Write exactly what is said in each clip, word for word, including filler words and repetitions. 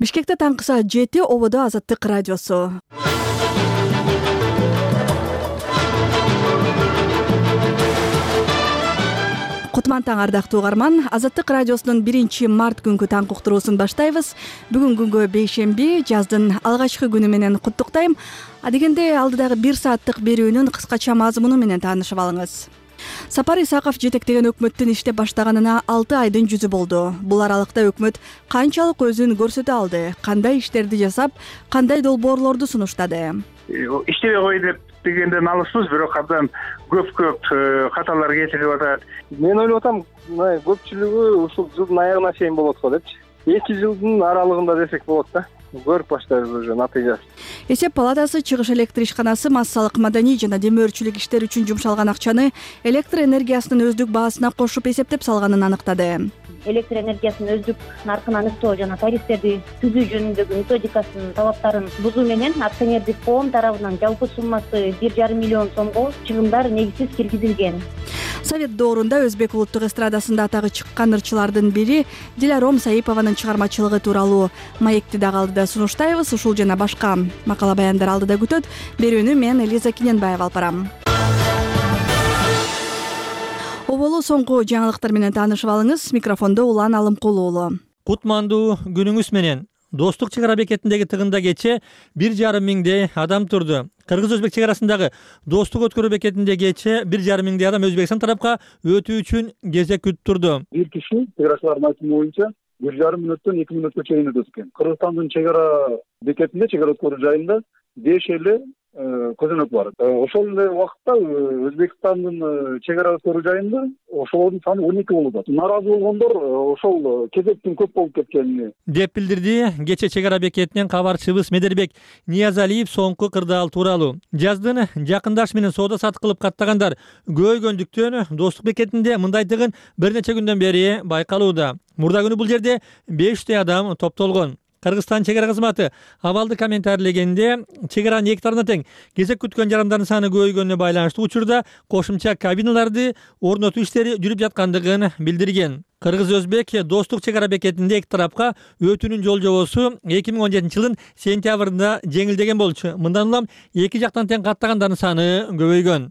Бишкекте таңкы саат жети, ободо Азаттык радиосу. Кутман таң, ардактуу угарман. Азаттык радиосунун биринчи март күнгү таң уктуруусун баштайбыз. Бүгүн күнгө бейшемби, жаздын алгачкы күнү менен куттуктайм. Адегенде алдыдагы бир сааттык берүүнүн кыскача мазмуну менен таанышып алыңыз. Сапар Исаков жетектеген өкмөттүн иштеп баштаганына алты айдын жүзү болду. Бул аралыкта өкмөт канчалык өзүн көрсөтө алды, кандай иштерди жасап, кандай долбоорлорду сунуштады. Иштебей кой деп дегенден алыспыз, бирок абдан көп-көп каталар кетирип атат. Мен ойлоп атам, көпчүлүгү ушул жылдын аягына чейин болот го депчи. эки жылдын аралыгында десек болот да. Көрүп баштайбыз уже натыйжасын. Эсеп палатасы чыгыш электр ишканасы массалык маданий жана демөөрчүлүк иштери үчүн жумшалган акчаны электр энергиясынын өздүк баасына кошуп эсептеп салганын аныктады. Электр энергиясынын өздүк наркын аныктоо жана тарифтерди түзүү жөнүндөгү методикасынын талаптарын бузуу менен акционердик коом тарабынан жалпы суммасы бир жарым миллион сомго чыгымдар негизсиз киргизилген. Совет доорунда Өзбек улуттук эстрадасында атагы чыккан ырчылардын бири Диларом Саипованын чыгармачылыгы тууралуу маекти дагы алдыда сунуштайбыз. Ушул жана башка макала баяндар алдыда күтөт. Берүүнү мен Элиза Киненбаева алып барам. Оболу соңку жаңылыктар менен таанышып алыңыз. Микрофондо Улан Алымкулуу уулу. Кутмандуу күнүңүз менен. Достук чек ара бекетиндеги тыгында кечээ бир жарым миңдей адам турду. Кыргыз-Өзбек чек арасындагы достук өткөрүү бекетинде кечээ бир жарым миңдей адам Өзбекстан тарапка өтүү үчүн кезек күтүп турду. Бир киши чек арачылардын айтымы боюнча бир жарым мүнөттөн эки мүнөткө чейин өтөт экен. Кыргызстандын чек ара бекетинде, чек ара өткөрүү жайында беш эле көзөнөк бар. Ошол эле убакытта Өзбекстандын чек ара өткөрүү жайында ошолордун саны он эки болуп атат. Нааразы болгондор ошол кезектин көп болуп кеткенин деп билдирди кечээ чек ара бекетинен кабарчыбыз Медербек Ниязалиев соңку кырдаал тууралуу. Жаздын жакындаш менен соода сатык кылып каттагандар көбөйгөндүктөн достук бекетинде мындай тыгын бир нече күндөн бери байкалууда. Мурда күнү бул жерде беш жүздөй адам топтолгон. Кыргызстан чек ара кызматы абалды комментарийлегенде чек аранын эки тарабына тең кезек күткөн жарандардын саны көбөйгөнүнө байланыштуу учурда кошумча кабиналарды орнотуу иштери жүрүп жаткандыгын билдирген. Кыргыз-Өзбек достук чек ара бекетинде эки тарапка өтүүнүн жол жобосу эки миң он жетинчи жылдын сентябрында жеңилдеген болчу. Мындан улам эки жактан тең каттагандардын саны көбөйгөн.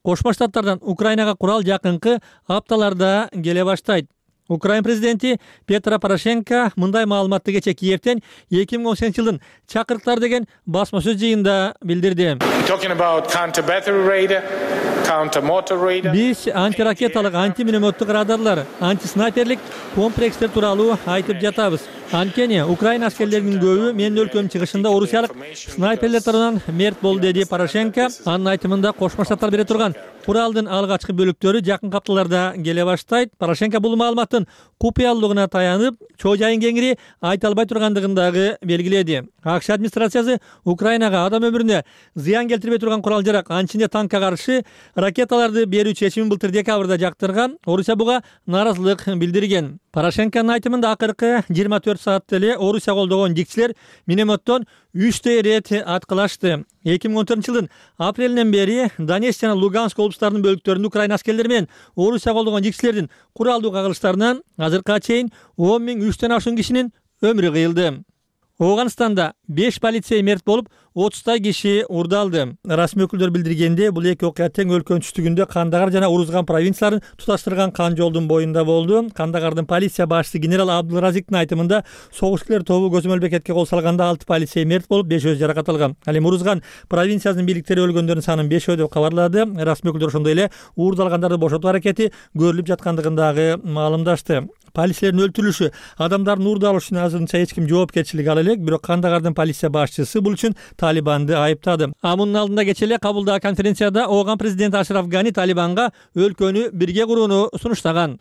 Кошмо Штаттардан Украинага курал жакынкы апталарда келе баштайт. Украин президенти Петро Порошенко мындай маалыматты кечээ Киевден эки миң он сегизинчи жылдын чакырыктар деген басма сөз жыйында билдирди. Биз антиракеталык, антиминометтик радарлар, антиснайперлик комплекстер тууралуу айтып жатабыз. Анткени Украина аскерлеринин көбү менин өлкөмдүн чыгышында орусиялык снайперлер тарабынан мерт болду, деди Порошенко. Анын айтымында Кошмо Штаттар бере турган куралдын алгачкы бөлүктөрү жакын апталарда келе баштайт. Порошенко бул маалыматтын купуялыгына таянып, чоо жайын кеңири айта албай тургандыгын дагы белгиледи. АКШ администрациясы Украинага адам өмүрүнө зыян келтирбей турган курал жарак, анчинде танкка каршы ракеталарды берүү чечимин былтыр декабрда жактырган. Орусия буга нааразылык билдирген. Порошенконун айтымында акыркы жыйырма төрт саатта эле Орусия колдогон жикчилер минометтон үчтөй ирет аткылашты. эки миң он төртүнчү жылдын апрелинен бери Донецк жана Луганск облустарынын бөлүктөрүндө Украина аскерлери менен Орусия колдогон жикчилердин куралдуу кагылыштарынан азыркыга чейин он миң үчтөн ашуун кишинин өмүрү кыйылды. Ооганстанда беш полицей мерт болуп, отуздай киши урдалды. Расмий өкүлдөр билдиргенде, бул эки окуя тең өлкөнүн түштүгүндө Кандагар жана Урузган провинцияларын туташтырган кан жолдун боюнда болду. Кандагардын полиция башчысы генерал Абдулразиктин айтымында согушчулар тобу көзөмөл бекетке кол салганда алты полицей мерт болуп, бешөө жаракат алган. Ал эми Урузган провинциясынын бийликтери өлгөндөрдүн санын бешөө деп кабарлады. Расмий өкүлдөр ошондой эле уурдалгандарды бошотуу аракети көрүлүп жаткандыгын дагы маалымдашты. Полицейлердин өлтүрүлүшү, адамдардын уурдалышы үчүн азырынча эч ким жоопкерчилик ала элек, бирок Кандагардын полиция башчысы бул үчүн Талибанды айыптады. А мунун алдында кечээ эле кабылдаган конференцияда Ооган президенти Ашраф Гани Талибанга өлкөнү бирге курууну сунуштаган.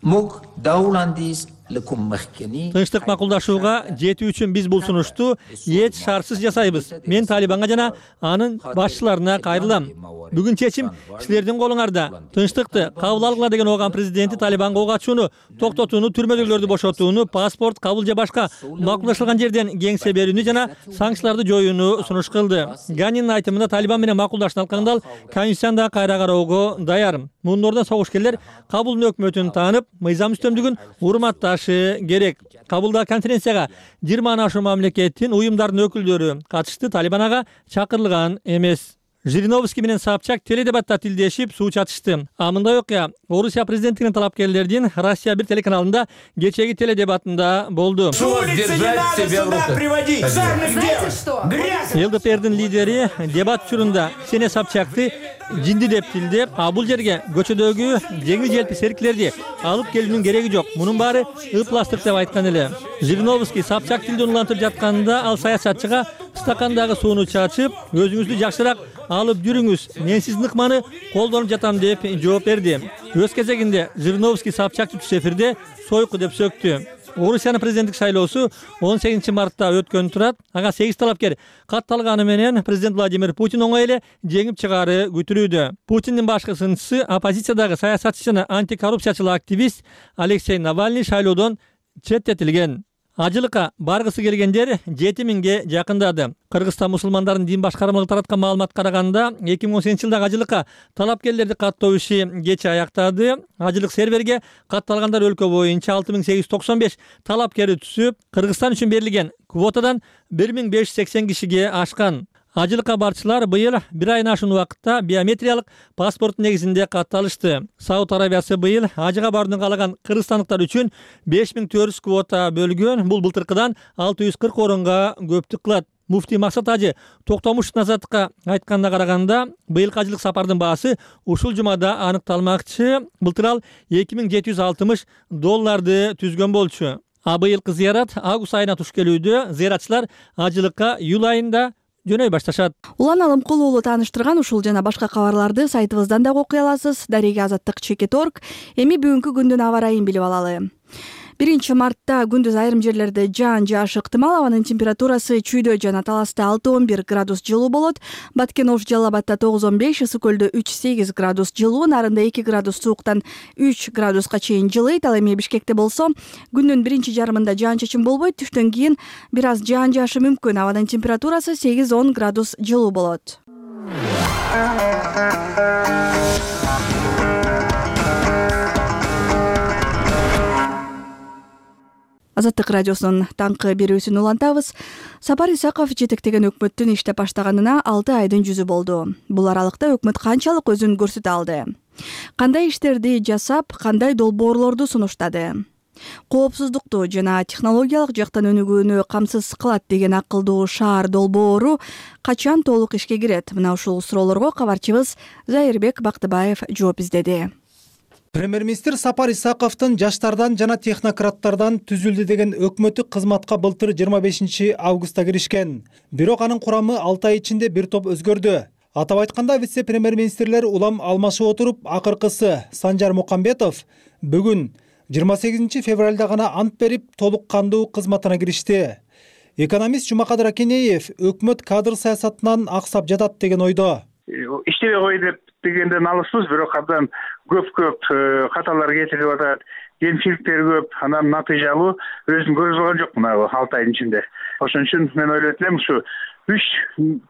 Тынчтык макулдашууга жетүү үчүн биз бул сунушту эч шартсыз жасайбыз. Мен Талибанга жана анын башчыларына кайрылам. Бүгүн чечим силердин колуңарда. Тынчтыкты кабыл алгыла деген Ооган президенти Талибанга ок ачууну токтотууну, түрмөдөгүлөрдү бошотууну, паспорт кабыл же башка макулдашылган жерден кеңсе берүүнү жана санкцияларды жоюуну сунуш кылды. Ганинин айтымында Талибан менен макулдашуу алкагында ал конституцияны кайра кароого даяр. Мунун ордуна согушкерлер Кабулдун өкмөтүн таанып, мыйзам үстөмдүгүн урматташ башташы керек. Кабулда конференцияга жыйырмадан ашуун мамлекеттин уюмдардын өкүлдөрү катышты, Талибан ага чакырылган эмес. Жириновский менен Собчак теледебатта тилдешип суу чатышты. А мындай окуя Орусия президенттигинин талапкерлердин Россия бир телеканалында кечеги теледебатында болду. ЛДПрдин лидери дебат учурунда Ксения Собчакты жинди деп тилдеп, а бул жерге көчөдөгү жеңил желпи сериктерди алып келүүнүн кереги жок. Мунун баары ыпластык деп айткан эле. Жириновский Собчак тилди улантып жатканда ал саясатчыга стакандагы сууну чачып, өзүңүздү жакшыраак алып жүрүңүз, мен сиздин ыкманы колдонуп жатам деп жооп берди. Өз кезегинде Жириновский Собчакты түз эфирде сойку деп сөктү. Орусиянын президенттик шайлоосу он сегизинчи мартта өткөн турат. Ага сегиз талапкер катталганы менен президент Владимир Путин оңой эле жеңип чыгаары күтүлүүдө. Путиндин башкы сынчысы оппозициядагы саясатчы жана антикоррупциячыл активист Алексей Навальный шайлоодон четтетилген. Ажылыкка баргысы келгендер жети миңге жакындады. Кыргызстан мусулмандардын дин башкармалыгы тараткан маалымат караганда, эки миң он сегизинчи жылдагы ажылыкка талапкерлерди каттоо иши кеч аяктады. Ажылык серверге катталгандар өлкө боюнча алты миң сегиз жүз токсон беш талапкери түсүп, Кыргызстан үчүн берилген квотадан бир миң беш жүз сексен кишиге ашкан. Ажылыкка барчылар быйыл бир айын ашуун убакытта биометриялык паспорт негизинде катталышты. Сауд Арабиясы быйыл ажыга барууну каалаган кыргызстандыктар үчүн беш миң төрт жүз квота бөлгөн. Бул былтыркыдан алты жүз кырк орунга көптүк кылат. Муфтий Максат Ажы Токтомушевдун азаттыкка айтканына караганда, быйылкы ажылык сапардын баасы ушул жумада аныкталмакчы. Былтыр ал эки миң жети жүз алтымыш долларды түзгөн болчу. А быйылкы зыярат август айына туш келүүдө. Зыяратчылар ажылыкка июль айында жөнөй башташат. Улан Алымкул уулу тааныштырган ушул жана башка кабарларды сайтыбыздан да окуй аласыз. Дареге азаттык чекит точка орг. Эми бүгүнкү күндүн аба ырайын билип алалы. биринчи мартта күндүз айрым жерлерде жаан жаашы ыктымал. Абанын температурасы Чүйдө жана Таласта алты он бир градус жылуу болот. Баткен Ош Жалал Абадта тогуз он беш, Ысык Көлдө үч сегиз градус жылуу, Нарында эки градус сууктан үч градуска чейин жылыйт. Ал эми Бишкекте болсо күндүн биринчи жарымында жаан чачын болбойт, түштөн кийин бир аз жаан жаашы мүмкүн. Абанын температурасы сегиз он градус жылуу болот. Азаттык радиосунун таңкы берүүсүн улантабыз. Сапар Исаков жетектеген өкмөттүн иштеп баштаганына алты айдын жүзү болду. Бул аралыкта өкмөт канчалык өзүн көрсөтө алды? Кандай иштерди жасап, кандай долбоорлорду сунуштады? Коопсуздукту жана технологиялык жактан өнүгүүнү камсыз кылат деген акылдуу шаар долбоору качан толук ишке кирет? Мына ушул суроолорго кабарчыбыз Зайырбек Бактыбаев жооп издеди. Премьер-министр Сапар Исаковдун жаштардан жана технократтардан түзүлдү деген өкмөттүк кызматка былтыр жыйырма бешинчи августта киришкен. Бирок анын курамы алты ай ичинде бир топ өзгөрдү. Атап айтканда, вице-премьер-министрлер улам алмашып отуруп, акыркысы Санжар Мукамбетов бүгүн жыйырма сегизинчи февралда гана ант берип, толук кандуу кызматына киришти. Экономист Жумакадыр Акенеев өкмөт кадр саясатынан аксап жатат деген ойдо. Иштебей кой деп дегенден алыспыз, бирок абдан көп-көп каталар кетирип атат, кемчиликтер көп, анан натыйжалуу өзүн көрүп алган жок мына алты айдын ичинде. Ошон үчүн мен ойлойт элем, ушу үч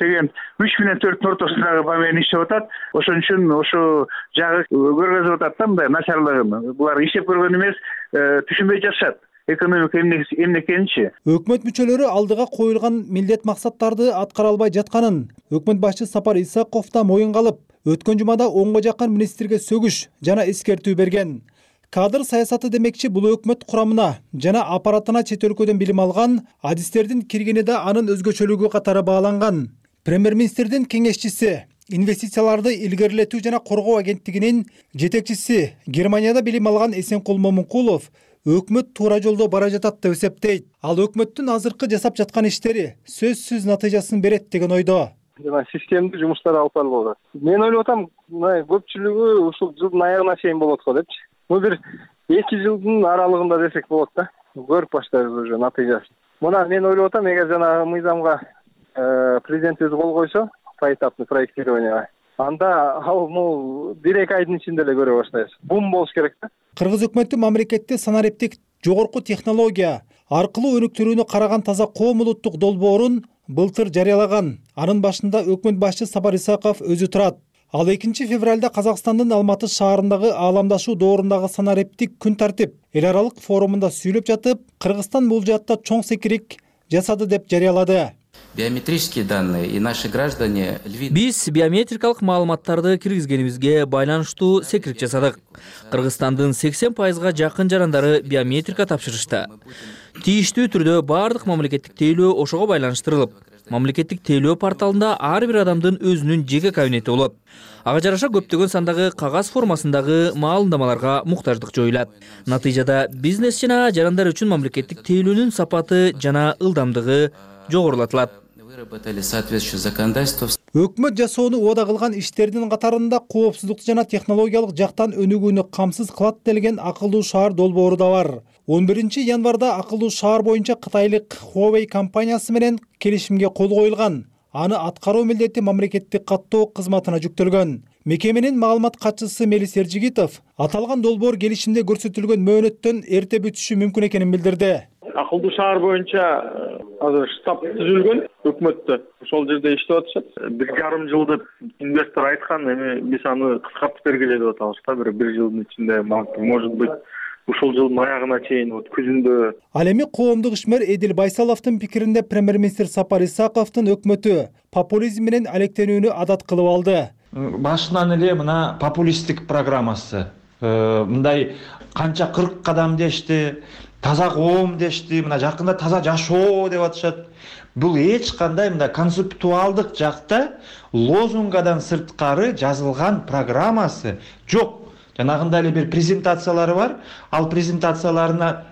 деген үч менен төрттүн ортосундагы бамен иштеп атат. Ошон үчүн ошо жагы көргөзүп атат да, мындай начарлыгын. Булар иштеп көргөн эмес, түшүнбөй жатышат. Экономика эмне экенинчи. Өкмөт мүчөлөрү алдыга коюлган милдет максаттарды аткара албай жатканын өкмөт башчы Сапар Исаков да моюнга алып, өткөн жумада онго жакын министрге сөгүш жана эскертүү берген. Кадр саясаты демекчи, бул өкмөт курамына жана аппаратына чет өлкөдөн билим алган адистердин киргени да анын өзгөчөлүгү катары бааланган. Премьер-министрдин кеңешчиси, инвестицияларды илгерилетүү жана коргоо агенттигинин жетекчиси, Германияда билим алган Эсенкул Момункулов өкмөт туура жолдо бара жатат деп эсептейт. Ал өкмөттүн азыркы жасап жаткан иштери сөзсүз натыйжасын берет деген ойдо. Жана системдүү жумуштар алып барылып атат. Мен ойлоп атам, мына көпчүлүгү ушул жылдын аягына чейин болот го депчи. Бул бир эки жылдын аралыгында десек болот да. Көрүп баштайбыз уже натыйжасын. Мына мен ойлоп атам, эгер жанагы мыйзамга президент өзү кол койсо, поэтапный проектированияга, анда ал могу бир эки айдын ичинде эле көрө баштайбыз. Бум болуш керек да. Кыргыз өкмөтү мамлекетте санариптик жогорку технология аркылуу өнүктүрүүнү караган таза коом улуттук долбоорун былтыр жарыялаган. Анын башында өкмөт башчы Сапар Исаков өзү турат. Ал экинчи февралда Казакстандын Алматы шаарындагы ааламдашуу доорундагы санариптик күн тартип эл аралык форумунда сүйлөп жатып, Кыргызстан бул жаатта чоң секирик жасады деп жарыялады. Биометрические данные и наши граждане... Биз биометрикалык маалыматтарды киргизгенибизге байланыштуу секирик жасадык. Кыргызстандын сексен пайызга жакын жарандары биометрика тапшырышты. Тийиштүү түрдө бардык мамлекеттик тейлөө ошого байланыштырылып, мамлекеттик тейлөө порталында ар бир адамдын өзүнүн жеке кабинети болот. Ага жараша көптөгөн сандагы кагаз формасындагы маалымдамаларга муктаждык жоюлат. Натыйжада бизнес жана жарандар үчүн мамлекеттик тейлөөнүн сапаты жана ылдамдыгы жогорулатылат. Өкмөт жасоону убада кылган иштердин катарында коопсуздукту жана технологиялык жактан өнүгүүнү камсыз кылат делген акылдуу шаар долбоору да бар. он биринчи январда акылдуу шаар боюнча кытайлык Huawei компаниясы менен келишимге кол коюлган. Аны аткаруу милдети мамлекеттик каттоо кызматына жүктөлгөн. Мекеменин маалымат катчысы Мелис Эржигитов аталган долбоор келишимде көрсөтүлгөн мөөнөттөн эрте бүтүшү мүмкүн экенин билдирди. Акылдуу шаар боюнча азыр штаб түзүлгөн өкмөттө. Ошол жерде иштеп атышат. Бир жарым жыл деп инвестор айткан, эми биз аны кыскартып бергиле деп атабыз да, бир бир жылдын ичинде, может быть, ушул жылдын аягына чейин, вот күзүндө. Ал эми коомдук ишмер Эдил Байсаловдун пикиринде премьер-министр Сапар Исаковдун өкмөтү популизм менен алектенүүнү адат кылып алды. Башынан эле мына популисттик программасы, мындай канча кырк кадам дешти, таза коом дешти, мына жакында таза жашоо деп атышат. Бул эч кандай мына концептуалдык жакта лозунгадан сырткары жазылган программасы жок. Жанагында эле бир презентациялары бар. Ал презентацияларына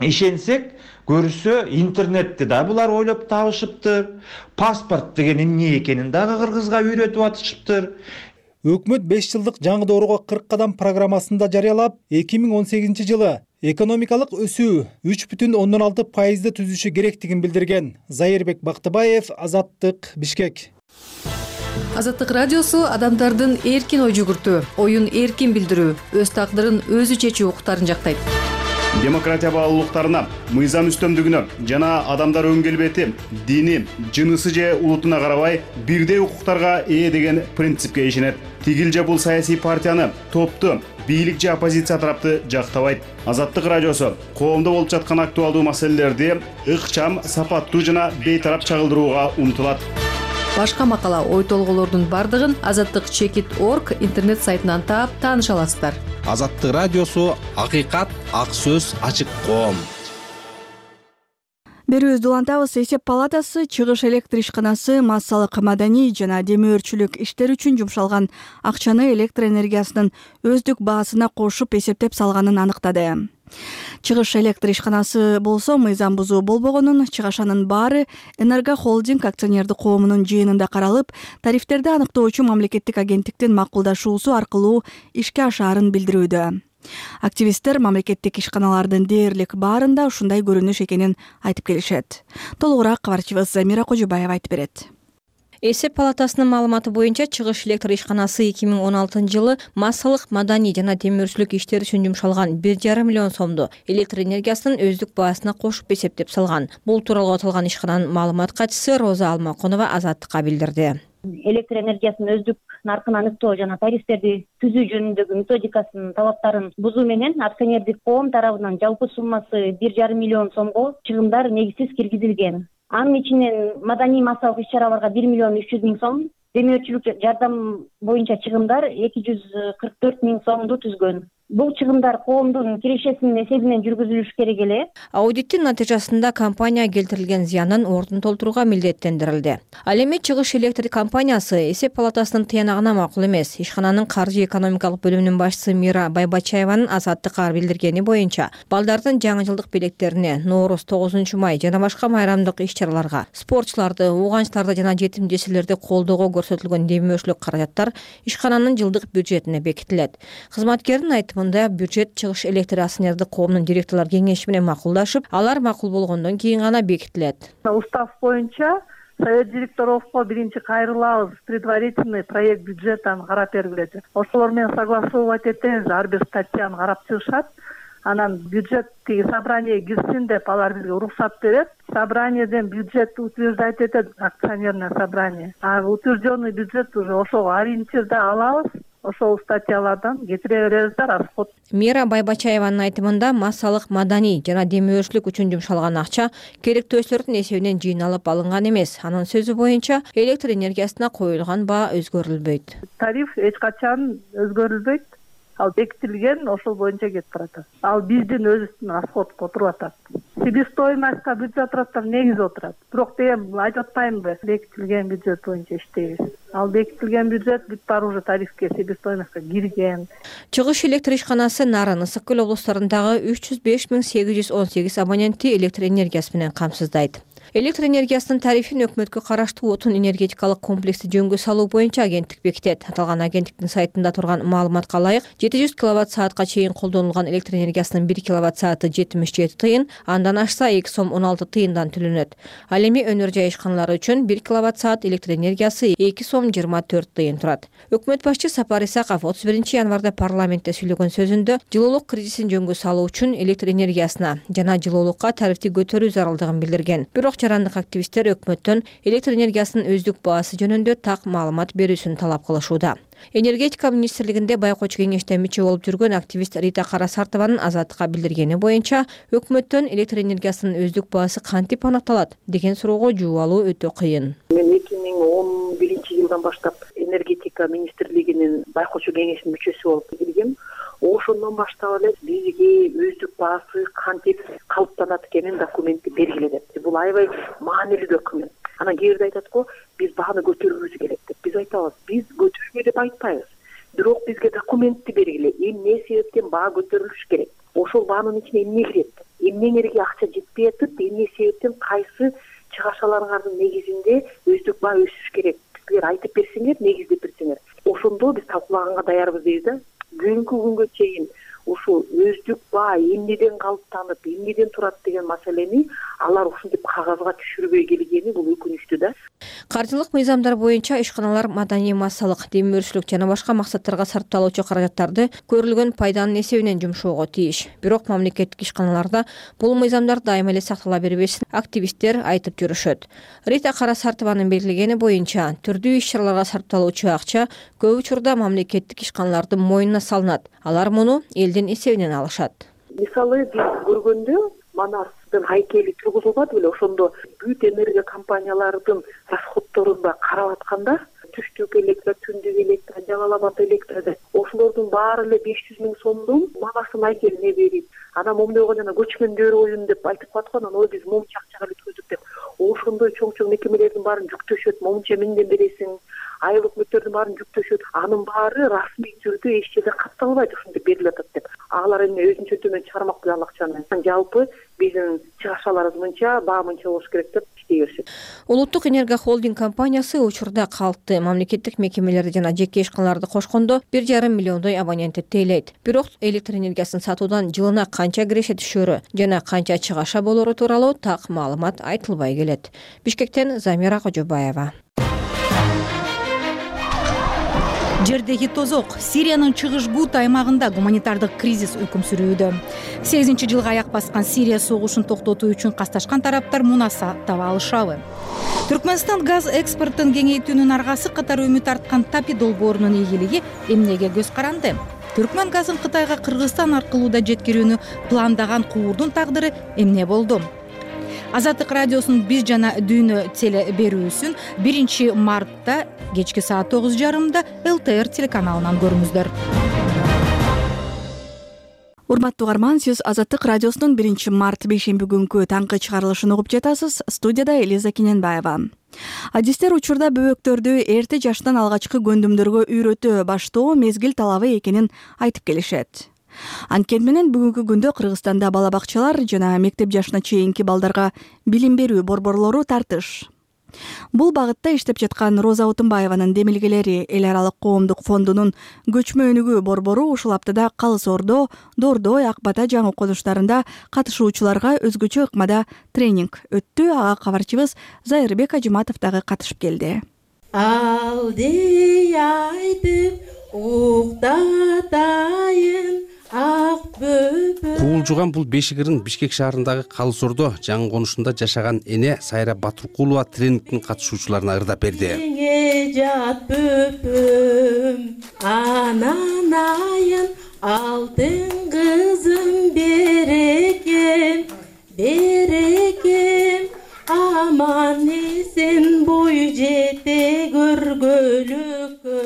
ишенсек, көрсө интернетти да булар ойлоп табышыптыр. Паспорт деген эмне экенин дагы кыргызга үйрөтүп атышыптыр. Өкмөт беш жылдык жаңы дооруга кырк кадам программасында жарыялап, эки миң он сегизинчи жылы экономикалык өсүү үч бүтүн ондон алты пайызды түзүшү керектигин билдирген. Зайырбек Бактыбаев, Азаттык, Бишкек. Азаттык радиосу адамдардын эркин ой жүгүртүү, оюн эркин билдирүү, өз тагдырын өзү чечүү укуктарын жактайт. Демократия баалуулуктарына, мыйзам үстөмдүгүнө жана адамдар өн келбети, дини, жынысы же улутуна карабай бирдей укуктарга ээ деген принципке ишенет. Тигил же бул саясий партияны, топту, бийлик же оппозиция тарапты жактабайт. Азаттык радиосу коомдо болуп жаткан актуалдуу маселелерди ыкчам, сапаттуу жана бейтарап чагылдырууга умтулат. Башка макала, ой толголордун бардыгын азаттык чекит точка орг интернет сайтынан таап тааныша аласыздар. Азаттык радиосу акыйкат, ак сөз, ачык коом. Берүүбүздү улантабыз. Эсеп палатасы чыгыш электр ишканасы массалык маданий жана демөөрчүлүк иштер үчүн жумшалган акчаны электр энергиясынын өздүк баасына кошуп эсептеп салганын аныктады. Чыгыш электр ишканасы болсо мыйзам бузуу болбогонун, чыгашанын баары Энерго холдинг акционердик коомунун жыйынында каралып, тарифтерди аныктоочу мамлекеттик агенттиктин макулдашуусу аркылуу ишке ашаарын билдирүүдө. Активисттер мамлекеттик ишканалардын дээрлик баарында ушундай көрүнүш экенин айтып келишет. Толугураак кабарчыбыз Замира Кожубаева айтып берет. Эсеп палатасынын маалыматы боюнча чыгыш электр ишканасы эки миң он алтынчы жылы массалык маданий жана темирчүлүк иштери үчүн жумшалган бир жарым миллион сомду электр энергиясынын өздүк баасына кошуп эсептеп салган. Бул тууралуу аталган ишкананын маалымат катчысы Роза Алмаконова Азаттыкка билдирди. Электр энергиясынын өздүк наркын аныктоо жана тарифтерди түзүү жөнүндөгү методикасынын талаптарын бузуу менен акционердик коом тарабынан жалпы суммасы бир жарым миллион сомго чыгымдар негизсиз киргизилген. Анын ичинен маданий массалык иш-чараларга бир миллион үч жүз миң сом, демөөрчүлүк жардам боюнча чыгымдар эки жүз кырк төрт миң сомду түзгөн. Бул чыгымдар коомдун кирешесинин эсебинен жүргүзүлүш керек эле. Аудиттин натыйжасында компания келтирилген зыяндын ордун толтурууга милдеттендирилди. Ал эми чыгыш электр компаниясы эсеп палатасынын тыянагына макул эмес. Ишкананын каржы экономикалык бөлүмүнүн башчысы Мира Байбачаеванын Азаттыкка билдиргени боюнча, балдардын жаңы жылдык белектерине, Нооруз, тогузунчу май жана башка майрамдык иш-чараларга, спортчуларды, ууганчтарды жана жетим жесирлерди колдоого көрсөтүлгөн демөөрчүлүк каражаттар ишкананын жылдык бюджетине бекитилет. Кызматкердин айтымында бюджет чыгыш электр акционердик коомунун директорлор кеңеши менен макулдашып, алар макул болгондон кийин гана бекитилет. Устав боюнча совет директоровго биринчи кайрылабыз, предварительный проект бюджетин карап бергиле. Ошолор менен согласовать этебиз, ар бир статьяны карап чыгышат. анан бюджет тиги собрание кирсин деп алар бизге уруксат берет. Собраниеден бюджет утверждать этет акционерное собрание. А утвержденный бюджет уже ошого ориентирде алабыз. Ошол статьялардан кетире беребиз да расход. Мира Байбачаеванын айтымында массалык маданий жана демөөрчүлүк үчүн жумшалган акча керектөөчүлөрдүн эсебинен жыйналып алынган эмес. Анын сөзү боюнча электр энергиясына коюлган баа өзгөрүлбөйт. Тариф эч качан өзгөрүлбөйт. Ал бекитилген, ошол боюнча кетип баратат. Ал биздин өзүбүздүн расходко отуруп атат. Себестоимостька бюджет расходдор негиз отурат. Бирок деген айтып атпаймынбы, бекитилген бюджет боюнча иштейбиз. Ал бекитилген бюджет бүт баары уже тарифке, себестоимостька кирген. Чыгыш электр ишканасы Нарын, Ысык көл облустарындагы үч жүз беш миң сегиз жүз он сегиз абонентти электр энергиясы менен камсыздайт. Электр энергиясынын тарифин өкмөткө караштуу отун энергетикалык комплексти жөнгө салуу боюнча агенттик бекитет. Аталган агенттиктин сайтында турган маалыматка ылайык, жети жүз киловатт саатка чейин колдонулган электр энергиясынын бир киловатт сааты жетимиш жети тыйын, андан ашса эки сом он алты тыйындан төлөнөт. Ал эми өнөр жай ишканалары үчүн бир киловатт саат электр энергиясы эки сом жыйырма төрт тыйын турат. Өкмөт башчы Сапар Исаков отуз биринчи январда парламентте сүйлөгөн сөзүндө жылуулук кризисин жөнгө салуу үчүн электр энергиясына жана жылуулукка тарифти көтөрүү зарылдыгын билдирген. Бирок жарандык активисттер өкмөттөн электр энергиясынын өздүк баасы жөнүндө так маалымат берүүсүн талап кылышууда. Энергетика министрлигинде байкоочу кеңеште мүчө болуп жүргөн активист Рита Карасартованын Азаттыкка билдиргени боюнча, өкмөттөн электр энергиясынын өздүк баасы кантип аныкталат деген суроого жооп алуу өтө кыйын. Мен эки миң он биринчи жылдан баштап энергетика министрлигинин байкоочу кеңешинин мүчөсү болуп келгем. Ошондон баштап эле бизге өздүк баасы кантип калыптанат экенин документти бергиле деп. Бул аябай маанилүү документ. Анан кээ бирде айтат го, биз бааны көтөрүүбүз керек деп. Биз айтабыз, биз көтөргүлө деп айтпайбыз. Бирок бизге документти бергиле, эмне себептен баа көтөрүлүш керек. Ошол баанын ичине эмне кирет? Эмнеңерге акча жетпей атып, эмне себептен кайсы чыгашаларыңардын негизинде өздүк баа өсүш керек? Силер айтып берсеңер, негиздеп берсеңер. Ошондо биз талкуулаганга даярбыз дейбиз да. Бүгүнкү күнгө чейин ушул өздүк баа эмнеден калыптанып, эмнеден турат деген маселени алар ушинтип кагазга түшүрбөй келгени бул өкүнүчтүү да. Каржылык мыйзамдар боюнча ишканалар маданий, массалык, демөөрчүлүк жана башка максаттарга сарпталуучу каражаттарды көрүлгөн пайданын эсебинен жумшоого тийиш. Бирок мамлекеттик ишканаларда бул мыйзамдар дайыма эле сактала бербесин активисттер айтып жүрүшөт. Рита Карасартованын белгилегени боюнча, түрдүү иш-чараларга сарпталуучу акча көп учурда мамлекеттик ишканалардын мойнуна салынат. Алар муну элдин эсебинен алышат. Мисалы биз көргөндө Манастын хайкели тургузулбады беле, ошондо бүт энергия компаниялардын расходторун да карап атканда, түштүк электр, түндүк электр, Жалал-Абад электр, ошолордун баары эле беш жүз миң сомдун Манастын хайкелине берип, анан момундой жана көчкөндөр оюн деп айтып аткан, анан ой биз момунча акчага эле түздүк деп. Ошондой чоң-чоң мекемелердин баарын жүктөшөт, момунча миңден бересиң, айыл өкмөттөрдүн баарын жүктөшөт. Анын баары расмий түрдө эч жерде катталбайт, ушинтип берилип атат деп. Алар эми өзүнчө төмөн чыгармак беле ал акчаны. Жалпы биздин чыгашаларыбыз мынча, баа мынча болуш керек деп иштей беришет. Улуттук энергия холдинг компаниясы учурда калкты, мамлекеттик мекемелерди жана жеке ишканаларды кошкондо бир жарым миллиондой абонентти тейлейт. Бирок электр энергиясын сатуудан жылына канча киреше түшөрү жана канча чыгаша болору тууралуу так маалымат айтылбай келет. Бишкектен Замира Кожобаева. Жердеги тозок. Сириянын чыгыш Гут аймагында гуманитардык кризис өкүм сүрүүдө. сегизинчи жылга аяк баскан Сирия согушун токтотуу үчүн касташкан тараптар мунаса таба алышабы. Түркмөнстан газ экспортун кеңейтүүнүн аргасы катары үмүт арткан Тапи долбоорунун ийгилиги эмнеге көз каранды? Түркмөн газын Кытайга Кыргызстан аркылуу да жеткирүүнү пландаган Куурдун тагдыры эмне болду? Азаттык радиосунун биз жана дүйнө теле берүүсүн биринчи мартта кечки саат тогуз жарымда эл тэ эр телеканалынан көрүңүздөр. Урматтуу угарман, сиз Азаттык радиосунун биринчи март бейшемби күнкү таңкы чыгарылышын угуп жатасыз. Студияда Элиза Кененбаева. Адистер учурда бөбөктөрдү эрте жаштан алгачкы көндүмдөргө үйрөтө баштоо мезгил талабы экенин айтып келишет. Анткени менен бүгүнкү күндө Кыргызстанда бала бакчалар жана мектеп жашына чейинки балдарга билим берүү борборлору тартыш. Бул багытта иштеп жаткан Роза Отунбаеванын демилгелери Эл аралык коомдук фондунун көчмө өнүгүү борбору ушул аптада Калыс Ордо, Дордой, Ак Бата жаңы окутуштарында катышуучуларга өзгөчө ыкмада тренинг өттү. Ага кабарчыбыз Зайырбек Ажыматов дагы катышып келди. Алды айтып уктатайын ак бөбө Куулжуган бул бешик ырын Бишкек шаарындагы Калысордо жаңы конушунда жашаган эне Сайра Батыркулова тренингдин катышуучуларына ырдап берди. Жат бүпүм, анан айын алтын кызым берекем, берекем, аман эсен бой жете көргөлүккө.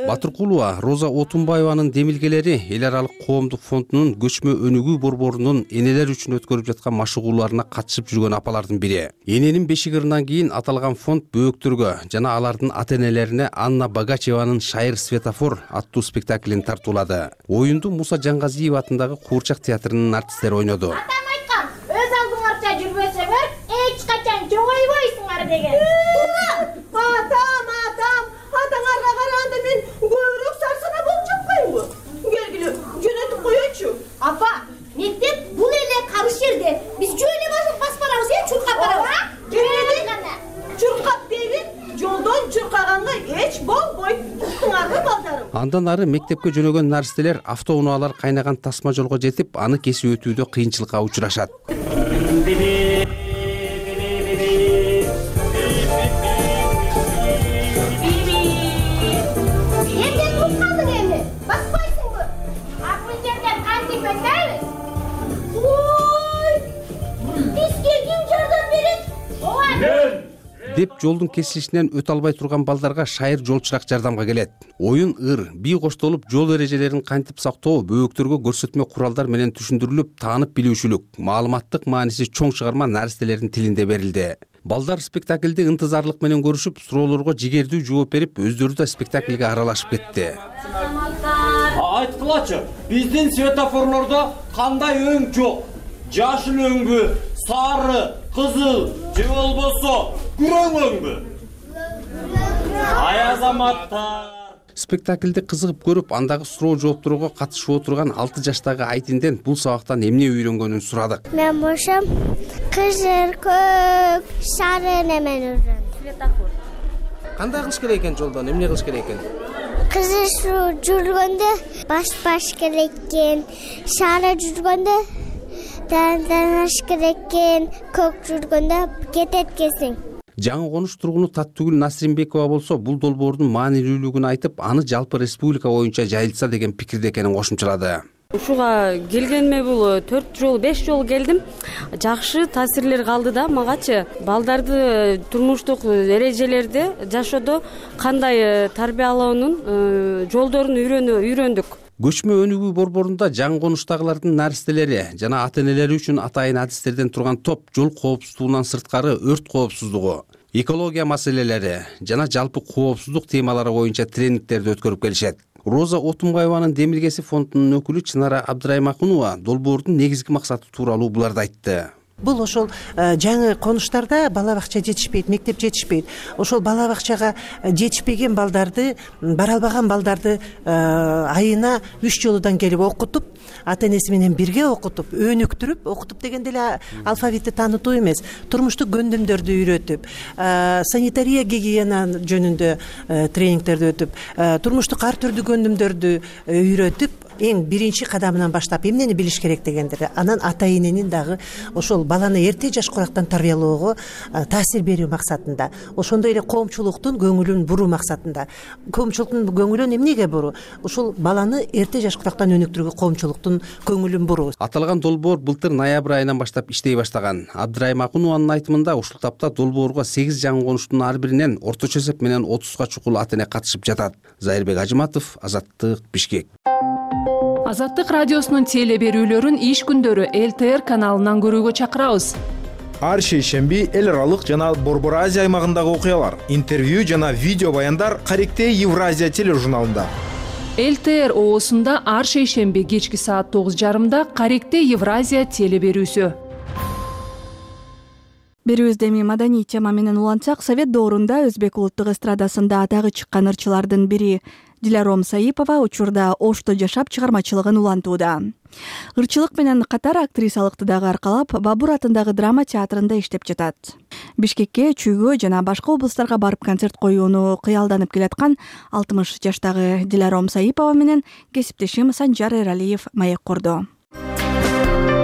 Батыркулова Роза Отунбаеванын демилгелери эл аралык коомдук фондунун көчмө өнүгүү борборунун энелер үчүн өткөрүп жаткан машыгууларына катышып жүргөн апалардын бири. Эненин бешик ырынан кийин аталган фонд бөөктөргө жана алардын ата энелерине Анна Богачеванын Шайыр Светофор аттуу спектаклин тартуулады. Оюнду Муса Жаңгазиев атындагы Куурчак театрынын артисттери ойноду. Атам айткан, өз алдыңарча жүрбөсөңөр, эч качан чоңойбойсуңар деген. Атам, атам, атаңарга караганда мен көбүрөөк сарсана болуп жатпаймынбы? Келгиле, жөнөтүп коечу. Апа, мектеп бул эле карыш жерде. Биз жөө эле басып барабыз, э, чуркап барабыз. Келди. Чуркап дегин, жолдон чуркаганга эч болбойт. Туктуңарбы балдарым? Андан ары мектепке жөнөгөн наристелер автоунаалар кайнаган тасма жолго жетип, аны кесип өтүүдө кыйынчылыкка учурашат. деп жолдун кесилишинен өтө албай турган балдарга Шайыр жолчурак жардамга келет. Оюн ыр, бий коштолуп жол эрежелерин кантип сактоо, бөөктөргө көрсөтмө куралдар менен түшүндүрүлүп, таанып билүүчүлүк, маалыматтык мааниси чоң чыгарма наристелердин тилинде берилди. Балдар спектакльди ынтызарлык менен көрүшүп, суроолорго жигердүү жооп берип, өздөрү да спектакльге аралашып кетти. Айткылачы, биздин светофорлордо кандай өң жок? Жашыл өңбү, сары, кызыл, же болбосо күрөң өңбү? Ай азаматтар. Спектакльди кызыгып көрүп, андагы суроо жоопторго катышып отурган алты жаштагы Айтинден бул сабактан эмне үйрөнгөнүн сурадык. Мен бошом кызыл, көк, сары немен үйрөндүм. Светофор. Кандай кылыш керек экен жолдон? Эмне кылыш керек экен? Кызыл жүргөндө баш-баш керек экен, сары жүргөндө данаш керек экен, көк жүргөндө кетет экенсиң. Жаңы конуш тургуну Таттүгүл Насримбекова болсо, бул долбоордун маанилүүлүгүн айтып, аны жалпы республика боюнча жайылтса деген пикирде экенин кошумчалады. Ушуга келгениме бул төрт жол, беш жол келдим. Жакшы таасирлер калды да магачы. Балдарды турмуштук эрежелерди жашоодо кандай тарбиялоонун жолдорун үйрөндүк. Көчмө өнүгүү борборунда жаңы конуштагылардын наристелери жана ата энелери үчүн атайын адистерден турган топ жол коопсуздугунан сырткары өрт коопсуздугу, экология маселелери жана жалпы коопсуздук темалары боюнча тренингтерди өткөрүп келишет. Роза Отунбаеванын демилгеси фондунун өкүлү Чынара Абдраймакунова долбоордун негизги максаты тууралуу буларды айтты. Бул ошол жаңы конуштарда бала бакча жетишпейт, мектеп жетишпейт. Ошол бала бакчага жетишпеген балдарды, бара албаган балдарды айына үч жолудан келип окутуп, ата энеси менен бирге окутуп, өнүктүрүп, окутуп дегенде эле алфавитти таанытуу эмес, турмуштук көндүмдөрдү үйрөтүп, санитария гигиена жөнүндө тренингтерди өтүп, турмуштук ар түрдүү көндүмдөрдү үйрөтүп, эң биринчи кадамынан баштап эмнени билиш керек дегендер. Анан ата эненин дагы ошол баланы эрте жаш курактан тарбиялоого таасир берүү максатында, ошондой эле коомчулуктун көңүлүн буруу максатында. Коомчулуктун көңүлүн эмнеге буруу? Ошол баланы эрте жаш курактан өнүктүрүүгө коомчулуктун көңүлүн буруу. Аталган долбоор былтыр ноябрь айынан баштап иштей баштаган. Абдраймакунованын айтымында ушул тапта долбоорго сегиз жаңы конуштун ар биринен орточо эсеп менен отузга чукул ата эне катышып жатат. Зайырбек Ажыматов, Азаттык, Бишкек. Азаттык радиосунун теле берүүлөрүн иш күндөрү эл тэ эр каналынан көрүүгө чакырабыз. Ар шейшемби эл аралык жана Борбор Азия аймагындагы окуялар, интервью жана видео баяндар Каректе Евразия тележурналында. эл тэ эр оосунда ар шейшемби кечки саат тогуз жарымда Каректе Евразия теле берүүсү. Берүүбүздө эми маданий тема менен улантсак, Совет доорунда Өзбек улуттук эстрадасында атагы чыккан ырчылардын бири Диляром Саипова учурда Ошто жашап чыгармачылыгын улантууда. Ырчылык менен катар актрисалыкты дагы аркалап, Бабур атындагы драма театрында иштеп жатат. Бишкекке, Чүйгө жана башка облустарга барып концерт коюуну кыялданып келаткан алтымыш жаштагы Диляром Саипова менен кесиптешим Санжар Эралиев маек курду.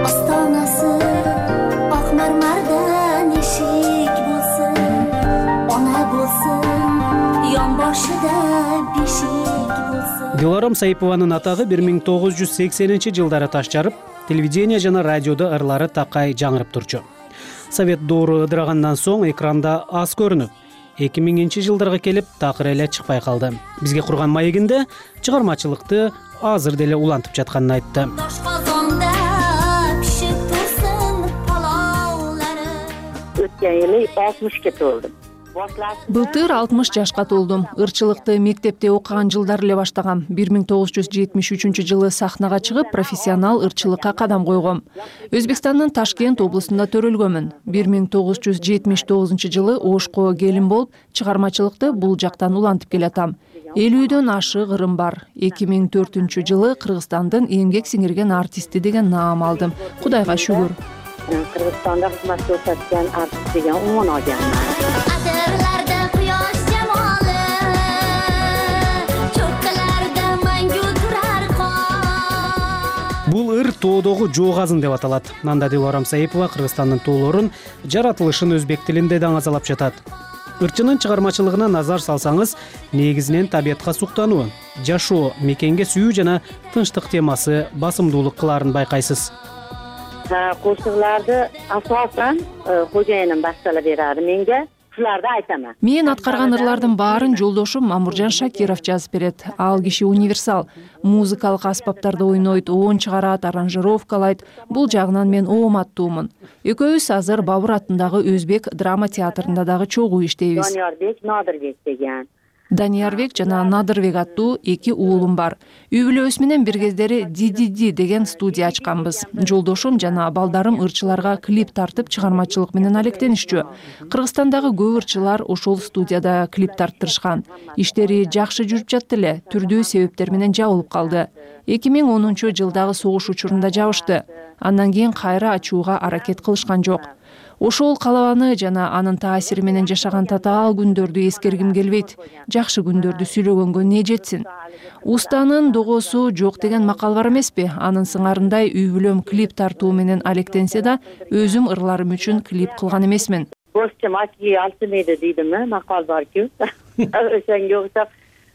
астанасы ак мармардан эшик болсун, она болсун ян башыда бешик болсун. Диларам Саипованын атагы бир миң тогуз жүз сексенинчи жылдары таш жарып, телевидение жана радиодо ырлары такай жаңырып турчу. Совет доору ыдырагандан соң экранда аз көрүнүп, эки миңинчи жылдарга келип такыр эле чыкпай калды. Бизге курган маегинде чыгармачылыкты азыр деле улантып жатканын айтты. Өткөн жылы алтымышка толдум. Былтыр алтымыш жашка толдум. Ырчылыкты мектепте окуган жылдар эле баштагам. бир миң тогуз жүз жетимиш үчүнчү жылы сахнага чыгып, профессионал ырчылыкка кадам койгом. Өзбекстандын Ташкент облусунда төрөлгөмүн. бир миң тогуз жүз жетимиш тогузунчу жылы Ошко келин болуп, чыгармачылыкты бул жактан улантып келатам. элүүдөн ашык ырым бар. эки миң төртүнчү жылы Кыргызстандын эмгек сиңирген артисти деген наам алдым. Кудайга шүгүр. Кыргызстанда кызмат көрсөткөн артист деген умун алганмын. Бул ыр тоодогу жоогазын деп аталат. Анда Диларам Саипова Кыргызстандын тоолорун, жаратылышын өзбек тилинде даңазалап жатат. Ырчынын чыгармачылыгына назар салсаңыз, негизинен табиятка суктануу, жашоо, мекенге сүйүү жана тынчтык темасы басымдуулук кылаарын байкайсыз. Кошукларды асосан кожоюнум баштала берadi менге. Шуларды айтамын. Мен аткарган ырлардын баарын жолдошум Мамуржан Шакиров жазып берет. Ал киши универсал. Музыкалык аспаптарды ойнойт, оон чыгарат, аранжировкалайт. Бул жагынан мен ооматтуумун. Экөөбүз азыр Бабур атындагы Өзбек драма театрында дагы чогуу иштейбиз. Даниярбек, Надырбек деген. Даниярбек жана Надырбек аттуу эки уулум бар. Үй бүлөбүз менен бир кездери Дидиди деген студия ачканбыз. Жолдошум жана балдарым ырчыларга клип тартып чыгармачылык менен алектенишчү. Кыргызстандагы көп ырчылар ошол студияда клип тарттырышкан. Иштери жакшы жүрүп жатты эле, түрдүү себептер менен жабылып калды. эки миң онунчу жылдагы согуш учурунда жабышты. Андан кийин кайра ачууга аракет кылышкан жок. Ошол калабаны жана анын таасири менен жашаган татаал күндөрдү эскергим келбейт. Жакшы күндөрдү сүйлөгөнгө не жетсин. Устанын догосу жок деген макал бар эмеспи? Анын сыңарындай үй бүлөм клип тартуу менен алектенсе да, өзүм ырларым үчүн клип кылган эмесмин. Босчум ачы алтымайды дейдими? Макал бар-ку. Ошонго окшоп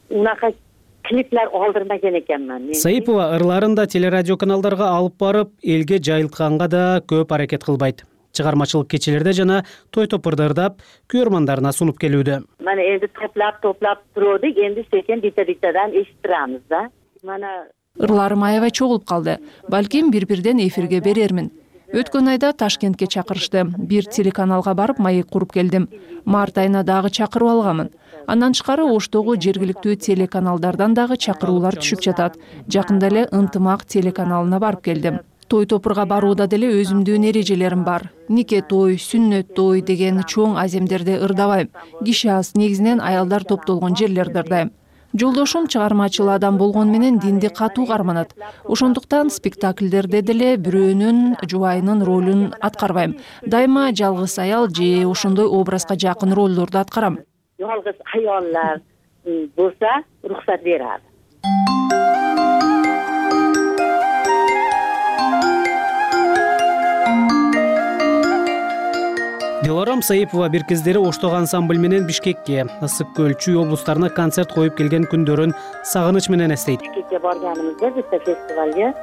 унака клиплер алдырмаган экенмин. Саипова ырларын да телерадио каналдарга алып барып, элге жайылтканга да көп аракет кылбайт. Чыгармачылык кечелерде жана той топурда ырдап, көрөрмандарына сунуп келүүдө. Мана элди топлап топлап турдук, энди секен бита-битадан эшип турабыз да. Мана ырларым аябай чогулуп калды. Балким бир-бирден эфирге берермин. Өткөн айда Ташкентке чакырышты. Бир телеканалга барып маек куруп келдим. Март айына дагы чакырып алганмын. Андан тышкары Оштогу жергиликтүү телеканалдардан дагы чакыруулар түшүп жатат. Жакында эле Ынтымак телеканалына барып келдим. Той топурга барууда деле өзүмдүн эрежелерим бар. Нике той, сүннөт той деген чоң аземдерде ырдабайм. Киши аз, негизинен аялдар топтолгон жерлерде ырдайм. Жолдошум чыгармачыл адам болгону менен динди катуу карманат. Ошондуктан спектакльдерде деле бирөөнүн жубайынын ролун аткарбайм. Дайыма жалгыз аял же ошондой образга жакын ролдорду аткарам. Жалгыз аялдар болса, уруксат берат. Диларам Саипова бир кездери Оштогу ансамбль менен Бишкекке, Ысык көл, Чүй облустарына концерт коюп келген күндөрүн сагыныч менен эстейт. Бишкекке барганыбызда бизде фестивалга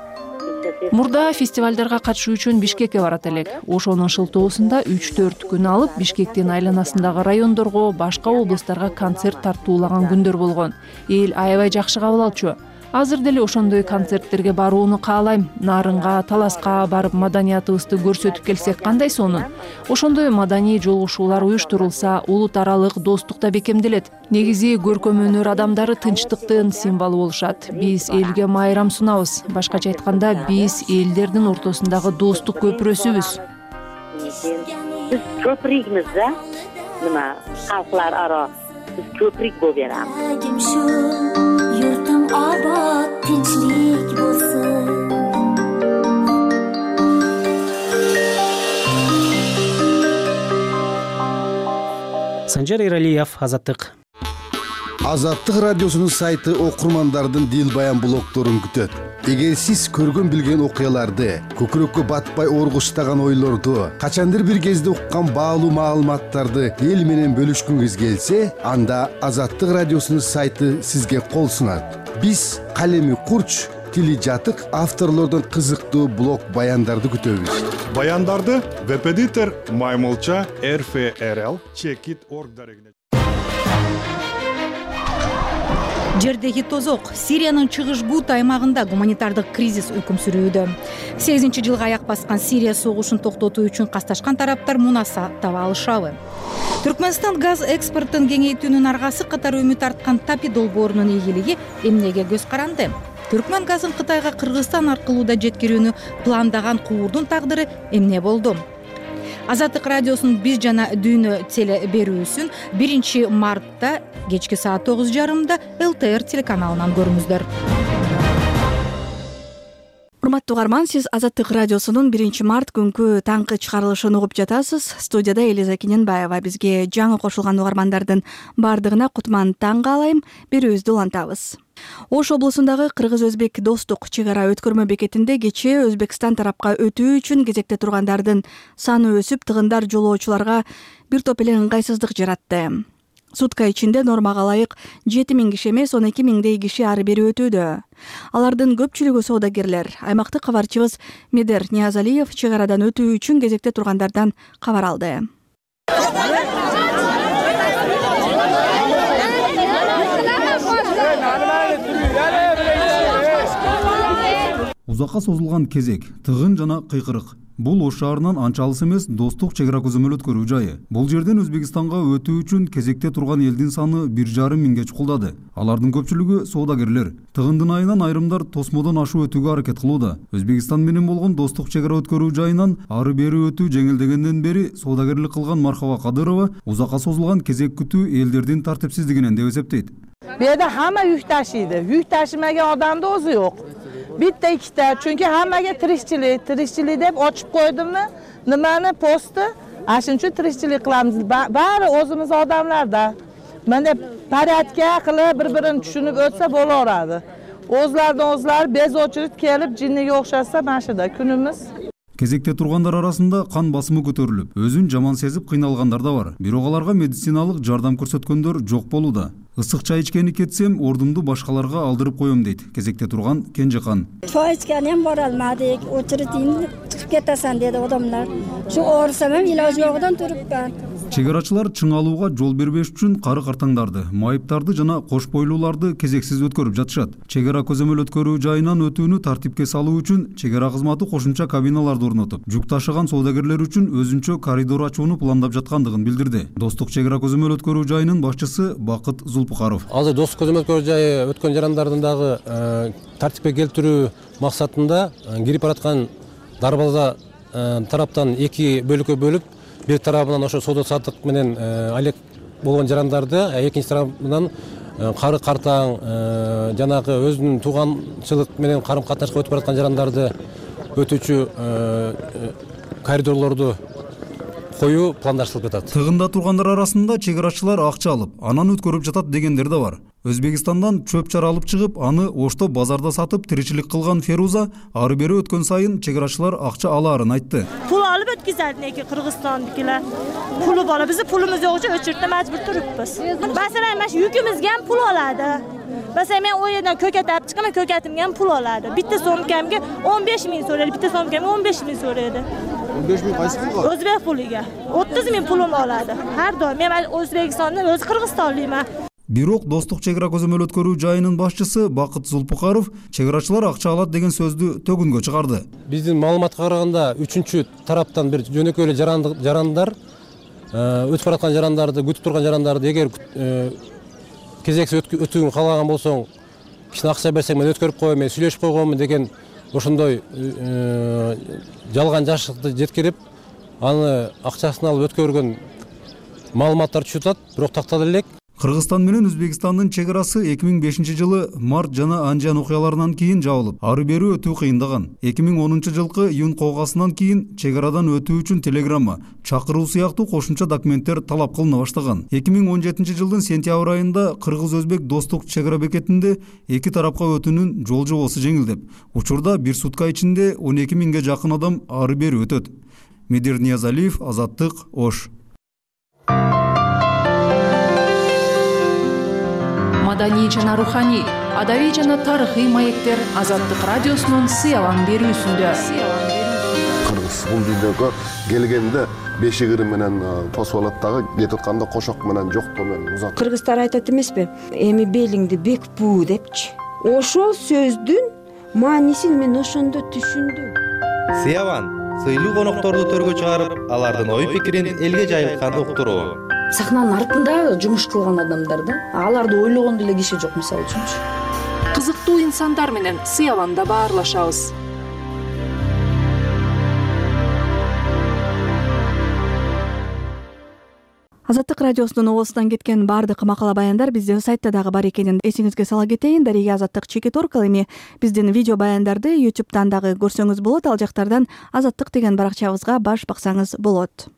Мурда фестивалдарга катышуу үчүн Бишкекке барат элек. Ошонун шылтоосунда үч төрт күн алып, Бишкектин айланасындагы райондорго, башка облустарга концерт тартуулаган күндөр болгон. Эл аябай жакшы кабыл алчу. Азыр деле ошондой концерттерге барууну каалайм. Нарынга, Таласка барып маданиятыбызды көрсөтүп келсек кандай сонун. Ошондой маданий жолугушуулар уюштурулса, улут аралык достук да бекемделет. Негизи көркөм өнөр адамдары тынчтыктын символу болушат. Биз элге майрам сунабыз. Башкача айтканда, биз элдердин ортосундагы достук көпүрөсүбүз. Биз көпүрөгбүз да. Нема, калклар ара биз көпүрөк болуп беребиз. Yurtum obod, tinchlik bo'lsin. Санжар Эралиев, Азаттык. Азаттык радиосунун сайты окурмандардын дил баян блогторун күтөт. эгер сиз көргөн билген окуяларды, көкүрөккө батпай оргуштаган ойлорду, качандыр бир кезде уккан баалуу маалыматтарды эл менен бөлүшкүңүз келсе, анда Азаттык радиосунун сайты сизге кол сунат. Биз калеми курч, тили жатык авторлордон кызыктуу блог баяндарды күтөбүз. Баяндарды веб-эдитор Маймылча эр эф эр эл чекит точка орг дарегине. Жердеги тозок. Сириянын чыгыш Гут аймагында гуманитардык кризис өкүм сүрүүдө. сегизинчи жылга аяк баскан Сирия согушун токтотуу үчүн касташкан тараптар мунаса таба алышабы? Түркмөнстан газ экспортун кеңейтүүнүн аргасы катары үмүт арткан Тапи долбоорунун ийгилиги эмнеге көз каранды? Түркмөн газын Кытайга Кыргызстан аркылуу да жеткирүүнү пландаган куурдун тагдыры эмне болду? Азаттык радиосунун биз жана дүйнө теле берүүсүн биринчи мартта кечки саат тогуз жарымда эл тэ эр телеканалынан көрүңүздөр. Урматтуу угарман, сиз Азаттык радиосунун биринчи март күнкү таңкы чыгарылышын угуп жатасыз. Студияда Элиза Кененбаева. Бизге жаңы кошулган угармандардын бардыгына кутман таң каалайм. Берүүбүздү улантабыз. Ош облусундагы кыргыз-өзбек достук чек ара өткөрмө бекетинде кечээ Өзбекстан тарапка өтүү үчүн кезекте тургандардын саны өсүп, тыгындар жолоочуларга бир топ эле ыңгайсыздык жаратты. Сутка ичинде нормага ылайык жети миң киши эмес, он эки миңдей киши ары бери өтүүдө. Алардын көпчүлүгү соодагерлер. Аймактык кабарчыбыз Медер Ниязалиев чек арадан өтүү үчүн кезекте тургандардан кабар алды. Узакка созулган кезек, тыгын жана кыйкырык. Бул Ош шаарынан анча алыс эмес достук чек ара көзөмөл өткөрүү жайы. Бул жерден Өзбекстанга өтүү үчүн кезекте турган элдин саны бир жарым миңге чукулдады. Алардын көпчүлүгү соодагерлер. Тыгындын айынан айрымдар тосмодон ашуу өтүүгө аракет кылууда. Өзбекстан менен болгон достук чек ара өткөрүү жайынан ары бери өтүү жеңилдегенден бери соодагерлик кылган Мархаба Кадырова узакка созулган кезек күтүү элдердин тартипсиздигинен деп эсептейт. Bu yerda hamma yuk tashiydi. Yuk tashimagan odamni o'zi yo'q. Bitta ikkita, chunki hammaga tirikchilik, tirikchilik deb ochib qo'ydimmi? Nimani posti? Ashuning uchun tirikchilik qilamiz. Bari o'zimiz odamlarda. Mana porядка qilib bir-birini tushunib o'tsa bo'laveradi. O'zlaridan o'zlari bezovchilik kelib jinniga o'xshasa mashida kunimiz. Кезекте тургандар арасында кан басымы көтөрүлүп, өзүн жаман сезип кыйналгандар да бар. Бирок аларга медициналык жардам көрсөткөндөр жок болууда. Ысык чай ичкени кетсем, ордумду башкаларга алдырып коем дейт кезекте турган Кенжехан. Чай ичкени ham bora olmadik. Очередин chiqib ketasan dedi odamlar. Shu orsam ham iloj yo'g'idan turibman. Чек арачылар чыңалууга жол бербеш үчүн кары картаңдарды, майыптарды жана кош бойлууларды кезексиз өткөрүп жатышат. Чек ара көзөмөл өткөрүү жайынан өтүүнү тартипке салуу үчүн чек ара кызматы кошумча кабиналарды орнотуп, жүк ташыган соодагерлер үчүн өзүнчө коридор ачууну пландап жаткандыгын билдирди. Достук чек ара көзөмөл өткөрүү жайынын башчысы Бакыт Зулпукаров. Азыр достук көзөмөл өткөрүү жайы өткөн жарандардын дагы тартипке келтирүү максатында кирип бараткан дарбаза тараптан эки бөлүккө бөлүп, бир тарабынан ошо соода саттык менен алек болгон жарандарды, экинчи тарабынан кары картаң жанагы өзүнүн тууганчылык менен карым катнашка өтүп бараткан жарандарды өтүүчү коридорлорду коюу пландаштырылып жатат. Тыгында тургандар арасында чек арачылар акча алып, анан өткөрүп жатат дегендер да бар. Өзбекстандан чөп чар алып чыгып, аны Ошто базарда сатып тиричилик кылган Феруза ары бери өткөн сайын чек арачылар акча алаарын айтты. Pul olib o'tkazadi lekin Qirg'izistondagilar. Puli bor, bizni pulimiz yo'q uchun o'chirtda majbur turibmiz. Masalan, mana shu yukimizga ham pul oladi. Masalan, men o yerdan ko'kat olib chiqaman, ko'katimga ham pul oladi. Bitta so'mkamga o'n besh ming so'raydi, bitta so'mkamga o'n besh ming so'raydi. o'n besh ming qaysi pulga? O'zbek puliga. o'ttiz ming pulim oladi. Har doim men O'zbekistondan o'zi Qirg'izistonlikman. Бирок достук чек ара көзөмөл өткөрүү жайынын башчысы Бакыт Зулпукаров чек арачылар акча алат деген сөздү төгүнгө чыгарды. Биздин маалыматка караганда үчүнчү тараптан бир жөнөкөй эле жарандар өтүп бараткан жарандарды, күтүп турган жарандарды эгер кезексиз өтүүнү каалаган болсоң, кичине акча берсең мен өткөрүп коем, мен сүйлөшүп койгонмун деген ошондой жалган жашыкты жеткирип, аны акчасын алып өткөргөн маалыматтар түшүп атат, бирок тактала элек. Кыргызстан менен Өзбекстандын чек арасы эки миң бешинчи жылы март жана анжан окуяларынан кийин жабылып, ары бери өтүү кыйындаган. эки миң онунчу жылкы июнь колгасынан кийин чек арадан өтүү үчүн телеграмма, чакыруу сыяктуу кошумча документтер талап кылына баштаган. эки миң он жетинчи жылдын сентябрь айында кыргыз-өзбек достук чек ара бекетинде эки тарапка өтүүнүн жол жобосу жеңилдеп, учурда бир сутка ичинде он эки миңге жакын адам ары бери өтөт. Медир Ниязалиев, Азаттык, Ош. Маданий жана руханий, адабий жана тарыхый маектер Азаттык радиосунун сыялан берүүсүндө. Кыргыз бул дүйнөгө келгенде бешик ыры менен тосуп алат дагы, кетип атканда кошок менен жоктоо менен узат. Кыргыздар айтат эмеспи? Эми белиңди бек буу депчи. Ошол сөздүн маанисин мен ошондо түшүндүм. Сыяван сыйлуу конокторду төргө чыгарып, алардын ой пикирин элге жайылткан уктуруу. Сахнанын артында жумуш кылган адамдар да, аларды ойлогон деле киши жок, мисалы үчүнчү. Кызыктуу инсандар менен сыяванда баарлашабыз. Азаттык радиосунун оозунан кеткен баардык макала баяндар биздин сайтта дагы бар экенин эсиңизге сала кетейин. Дарига Азаттык чекит точка орг эми биздин видео баяндарды YouTube'дан дагы көрсөңүз болот. Ал жактардан Азаттык деген баракчабызга баш баксаңыз болот.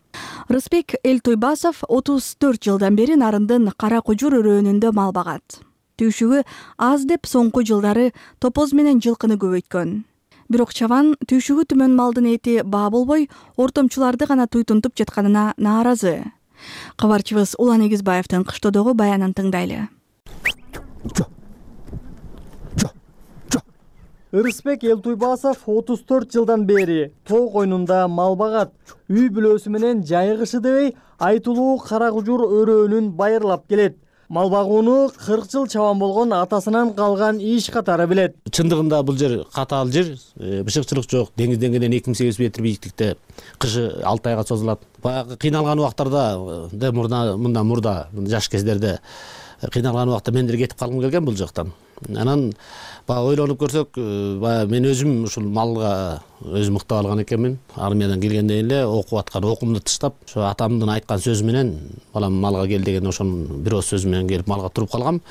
Рысбек Элтойбасов отуз төрт жылдан бери Нарындын Кара Кужур өрөөнүндө мал багат. Түйшүгү аз деп соңку жылдары топоз менен жылкыны көбөйткөн. Бирок чабан түйшүгү түмөн малдын эти баа болбой, ортомчуларды гана туйтунтуп жатканына нааразы. Кабарчыбыз Улан Эгизбаевдин кыштоодогу баянын тыңдайлы. Рысбек Элтойбасов отуз төрт жылдан бери тоо койнунда мал багат. Үй бүлөсү менен жайгышы дебей айтылуу Кара Кужур өрөөнүн байырлап келет. Мал багууну кырк жыл чабан болгон атасынан калган иш катары билет. Чындыгында бул жер катаал жер, бышыкчылык жок. Деңиз деңгээлинен эки миң сегиз жүз метр бийиктикте, кышы алты айга созулат. Баягы кыйналган убактарда, да мурда мындан мурда жаш кездерде кыйналган убакта мен деле кетип калгым келген бул жактан. Анан баягы ойлонуп көрсөк, баягы мен өзүм ушул малга өзүм ыктап алган экенмин. Армиядан келгенден эле окуп аткан окуумду таштап, ошо атамдын айткан сөзү менен балам малга кел деген ошонун бир ооз сөзү менен келип малга туруп калгам.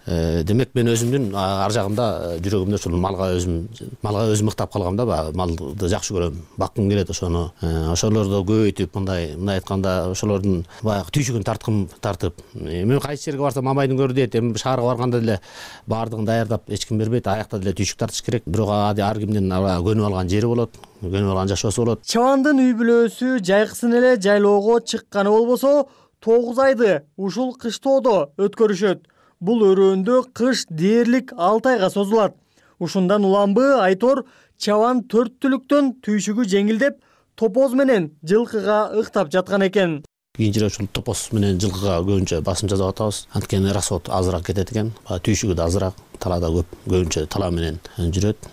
Демек мен өзүмдүн ар жагында жүрөгүмдө ушул малга өзүм малга өзүм ыктап калгам да, баягы малды жакшы көрөм, баккым келет ошону. Ошолорду көбөйтүп, мындай мындай айтканда ошолордун баягы түйшүгүн тарткым тартып. Мен кайсы жерге барсам мамайдын көрү дейт. Эми шаарга барганда деле баардыгын даярдап эч ким бербейт. Аякта деле түйшүк тартыш керек. Бирок ар кимдин көнүп алган жери болот, көнүп алган жашоосу болот. Чабандын үй бүлөсү жайкысын эле жайлоого чыкканы болбосо, тогуз айды ушул кыштоодо өткөрүшөт. Бул өрөөндө кыш дээрлик алты айга созулат. Ушундан уламбы Айтор чабан төрт түлүктөн түйшүгү жеңилдеп, топоз менен жылкыга ыктап жаткан экен. Кийинчерээк ушул топоз менен жылкыга көбүнчө басым жасап атабыз. Анткени расход азыраак кетет экен. Түйшүгү да азыраак, талаада көп, көбүнчө тала менен жүрөт.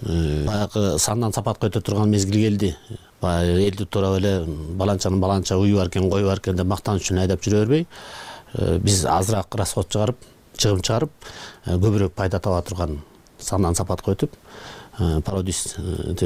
Баягы сандан сапатка өтө турган мезгил келди. Баягы элди туурап эле баланчанын баланча уyu бар экен, кою бар экен деп мактаныч үчүн айдап жүрө бербей, биз азыраак расход чыгарып, чыгым чыгарып, көбүрөөк пайда таба турган сандан сапатка өтүп, пародист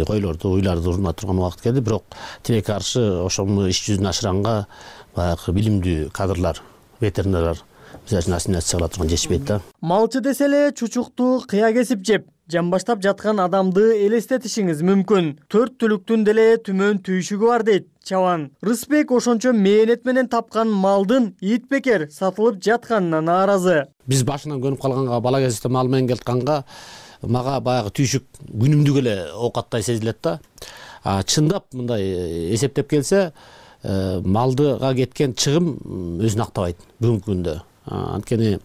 койлорду, уйларды урмат турган убакыт келди. Бирок тилекке каршы ошону иш жүзүнө ашыранга баягы билимдүү кадрлар, ветеринарлар биз үчүн ассимиляция кыла турган жетишпейт да. Малчы десе эле чучукту кыя кесип жеп, жамбаштап жаткан адамды элестетишиңиз мүмкүн. Төрт түлүктүн деле түмөн түйшүгү бар дейт чабан. Рысбек ошончо мээнет менен тапкан малдын ит бекер сатылып жатканына нааразы. Биз башынан көнүп калганга, бала кезде мал менен келатканга мага баягы түйшүк күнүмдүк эле оокаттай сезилет да. Чындап мындай эсептеп келсе, малдыга кеткен чыгым өзүн актабайт бүгүнкү күндө. Анткени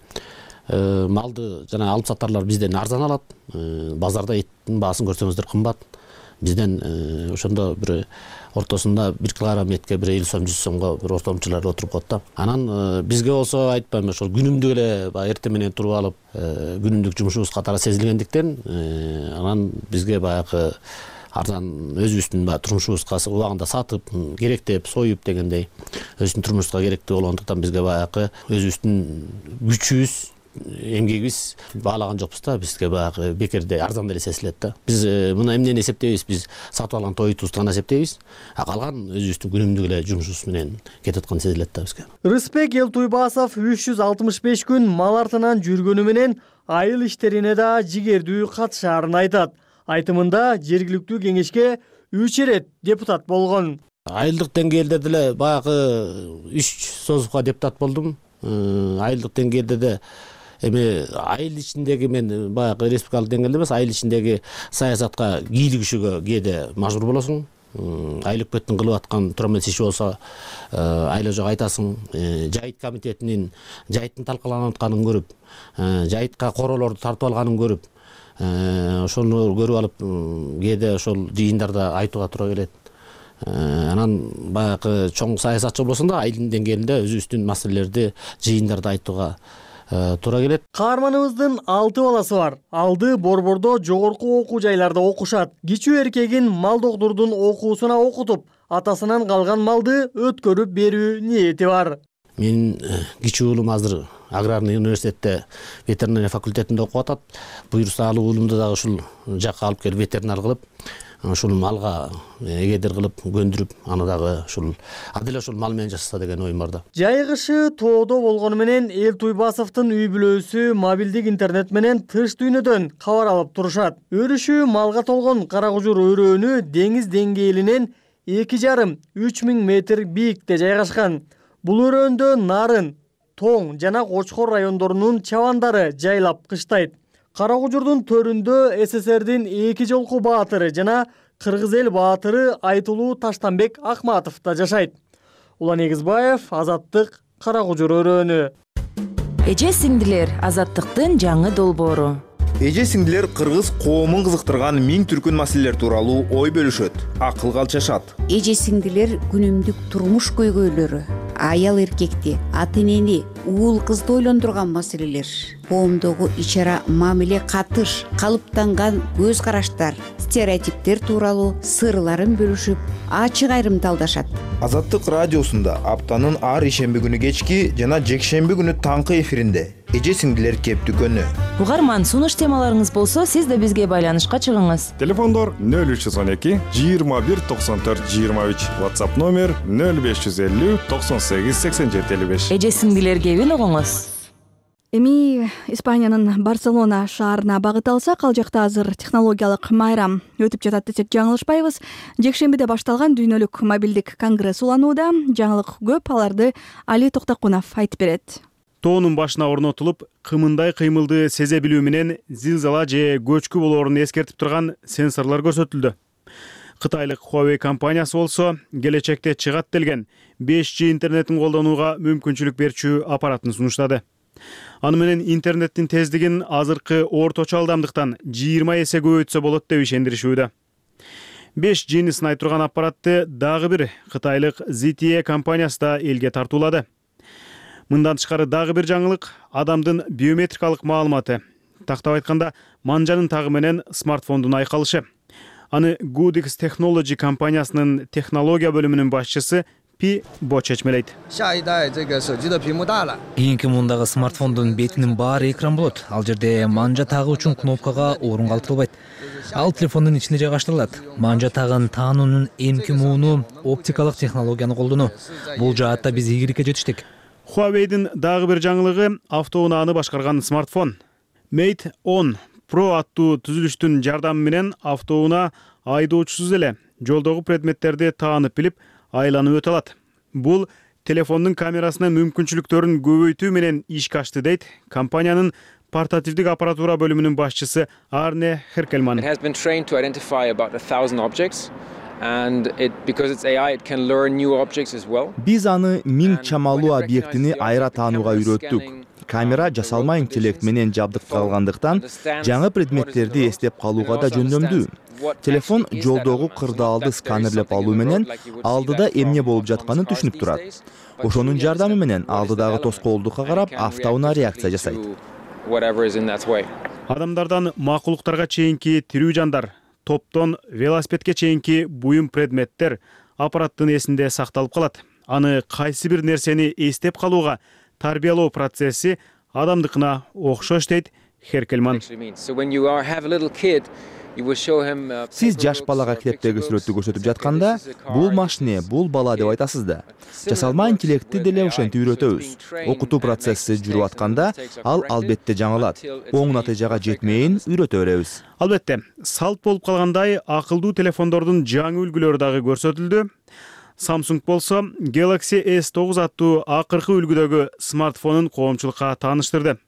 малды жана алып сатарлар бизден арзан алат. Базарда эттин баасын көрсөңүздөр кымбат. Бизден ошондо бир ортосунда бир килограмм этке бир элүү сом, жүз сомго бир ортомчулар отуруп коет да. Анан бизге болсо айтпайм, ошол күнүмдүк эле баягы эртең менен туруп алып, күнүмдүк жумушубуз катары сезилгендиктен, анан бизге баягы арзан өзүбүздүн баягы турмушубузга убагында сатып, керектеп, союп дегендей, өзүбүздүн турмушубузга керектүү болгондуктан бизге баягы өзүбүздүн күчүбүз эмгегибиз баалаган жокпуз да, бизге баягы бекерде арзан деле сезилет да. Биз мына эмнени эсептейбиз, биз сатып алган тойтубузду гана эсептейбиз, а калган өзүбүздүн күнүмдүк эле жумушубуз менен кетип аткан сезилет да бизге. Рыспек Элтуйбасов үч жүз алтымыш беш күн мал артынан жүргөнү менен айыл иштерине да жигердүү катышаарын айтат. Айтымында жергиликтүү кеңешке үч ирет депутат болгон. Айылдык деңгээлде деле баягы үч созупка депутат болдум. Айылдык деңгээлде де эми айыл ичиндеги мен баягы республикалык деңгээлде эмес, айыл ичиндеги саясатка кийлигишүүгө кээде мажбур болосуң. Айыл өкмөттүн кылып аткан турамел иши болсо айла жок айтасың. Жайыт комитетинин жайыттын талкаланып атканын көрүп, жайытка короолорду тартып алганын көрүп, ошону көрүп алып кээде ошол жыйындарда айтууга туура келет. Анан баягы чоң саясатчы болсоң да айылдын деңгээлинде өзүбүздүн маселелерди жыйындарда айтууга туура келет. Каарманыбыздын алты баласы бар. Алды Борбордо жогорку окуу жайларда окушат. Кичүү эркегин мал доктурдун окуусуна окутуп, атасынан калган малды өткөрүп берүү ниети бар. Менин кичүү уулум азыр аграрный университетте ветеринария факультетинде окуп атат. Буюрса алуу уулумду дагы ушул жакка алып келип ветеринар кылып, ушул малга эгедер кылып көндүрүп, аны дагы ушул адил ушул мал менен жашаса деген оюм бар да. Жай кышы тоодо болгону менен Элтуйбасовдун үй бүлөсү мобилдик интернет менен тыш дүйнөдөн кабар алып турушат. Өрүшү малга толгон Кара Кужур өрөөнү деңиз деңгээлинен эки жарым үч миң метр бийикте жайгашкан. Бул өрөөндө нарын, тоң жана Кочкор райондорунун чабандары жайлап кыштайт. Кара Кужурдун төрүндө СССРдин эки жолку баатыры жана кыргыз эл баатыры Айтылуу Таштанбек Акматов да жашайт. Улан Эгизбаев, Азаттык, Кара Кужур өрөөнү. Эже сиңдилер, Азаттыктын жаңы долбоору. Эже сиңдилер кыргыз коомун кызыктырган миң түркүн маселелер тууралуу ой бөлүшөт, акылга алчашат. Эже сиңдилер күнүмдүк турмуш көйгөйлөрү, аял эркекти, ата энени, уул кызды ойлондурган маселелер, коомдогу ичара мамиле катыш, калыптанган көз караштар, стереотиптер тууралуу сырларын бөлүшүп, ачык айрымталдашат. Азаттык радиосунда аптанын ар ишемби күнү кечки жана жекшемби күнү таңкы эфиринде эже сиңдилер кеп дүкөнү. Угарман, сунуш темаларыңыз болсо, сиз да бизге байланышка чыгыңыз. Телефондор нөл үч жүз он эки жыйырма бир токсон төрт жыйырма үч, WhatsApp номер нөл беш жүз элүү токсон сегиз сексен жети элүү беш. Эже сиңдилер кебин угуңуз. Эми Испаниянын Барселона шаарына багыт алсак, ал жакта азыр технологиялык майрам өтүп жатат десек жаңылышпайбыз. Жекшембиде башталган дүйнөлүк мобилдик конгресс уланууда. Жаңылык көп, аларды Али Токтокунов айтып берет. Тоонун башына орнотулуп, кымындай кыймылды сезе билүү менен зилзала же көчкү болоорун эскертип турган сенсорлор көрсөтүлдү. Кытайлык Huawei компаниясы болсо келечекте чыгат делген беш джи интернетин колдонууга мүмкүнчүлүк берчү аппаратын сунуштады. Аны менен интернеттин тездигин азыркы орточо алдамдыктан жыйырма эсе көбөйтсө болот деп ишендиришүүдө. беш джини сынай турган аппаратты дагы бир кытайлык зет ти и компаниясы да элге тартуулады. Мындан тышкары дагы бир жаңылык — адамдын биометрикалык маалыматы. Тактап айтканда, манжанын тагы менен смартфондун айкалышы. Аны Goodix Technology компаниясынын технология бөлүмүнүн башчысы Пи Бо чечмелейт. Кийинки мундагы смартфондун бетинин баары экран болот. Ал жерде манжа тагы үчүн кнопкага орун калтырылбайт. Ал телефондун ичинде жайгаштырылат. Манжа тагын таануунун эмки мууну оптикалык технологияны колдонуу. Бул жаатта биз ийгиликке жетиштик. Huawei'дин дагы бир жаңылыгы автоунааны башкарган смартфон. Mate он Pro аттуу түзүлүштүн жардамы менен автоунаа айдоочусуз эле жолдогу предметтерди таанып билип, айланып өтө алат. Бул телефондун камерасынын мүмкүнчүлүктөрүн көбөйтүү менен ишке ашты дейт компаниянын портативдик аппаратура бөлүмүнүн башчысы Арне Херкельман. Биз аны миң чамалуу объектини айра таанууга үйрөттүк. Камера жасалма интеллект менен жабдыкталгандыктан жаңы предметтерди эстеп калууга да жөндөмдүү. Телефон жолдогу кырдаалды сканерлеп алуу менен алдыда эмне болуп жатканын түшүнүп турат. Ошонун жардамы менен алдыдагы тоскоолдукка карап автоунаа реакция жасайт. Адамдардан макулуктарга чейинки тирүү жандар, топтон велосипедке чейинки буюм предметтер аппараттын эсинде сакталып калат. Аны кайсы бир нерсени эстеп калууга тарбиялоо процесси адамдыкына окшош дейт Херкельман. Сиз жаш балага китептеги сүрөттү көрсөтүп жатканда, бул машине, бул бала деп айтасыз да. Жасалма интеллектти деле ошентип үйрөтөбүз. Окутуу процесси жүрүп атканда, ал албетте жаңылат. Оң натыйжага жетмейин үйрөтө беребиз. Албетте, салт болуп калгандай акылдуу телефондордун жаңы үлгүлөрү дагы көрсөтүлдү. Samsung болсо Galaxy эс тогуз аттуу акыркы үлгүдөгү смартфонун коомчулукка тааныштырды.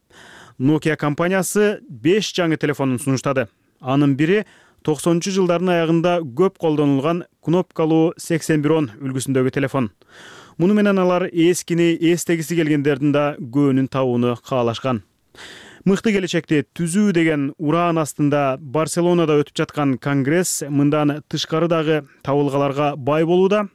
Nokia компаниясы беш жаңы телефонун сунуштады. Анын бири токсонунчу жылдардын аягында көп колдонулган кнопкалуу сексен бир он үлгүсүндөгү телефон. Муну менен алар эскини эстегиси келгендердин да көөнүн табууну каалашкан. Мыкты келечекти түзүү деген ураан астында Барселонада өтүп жаткан конгресс мындан тышкары дагы табылгаларга бай болууда.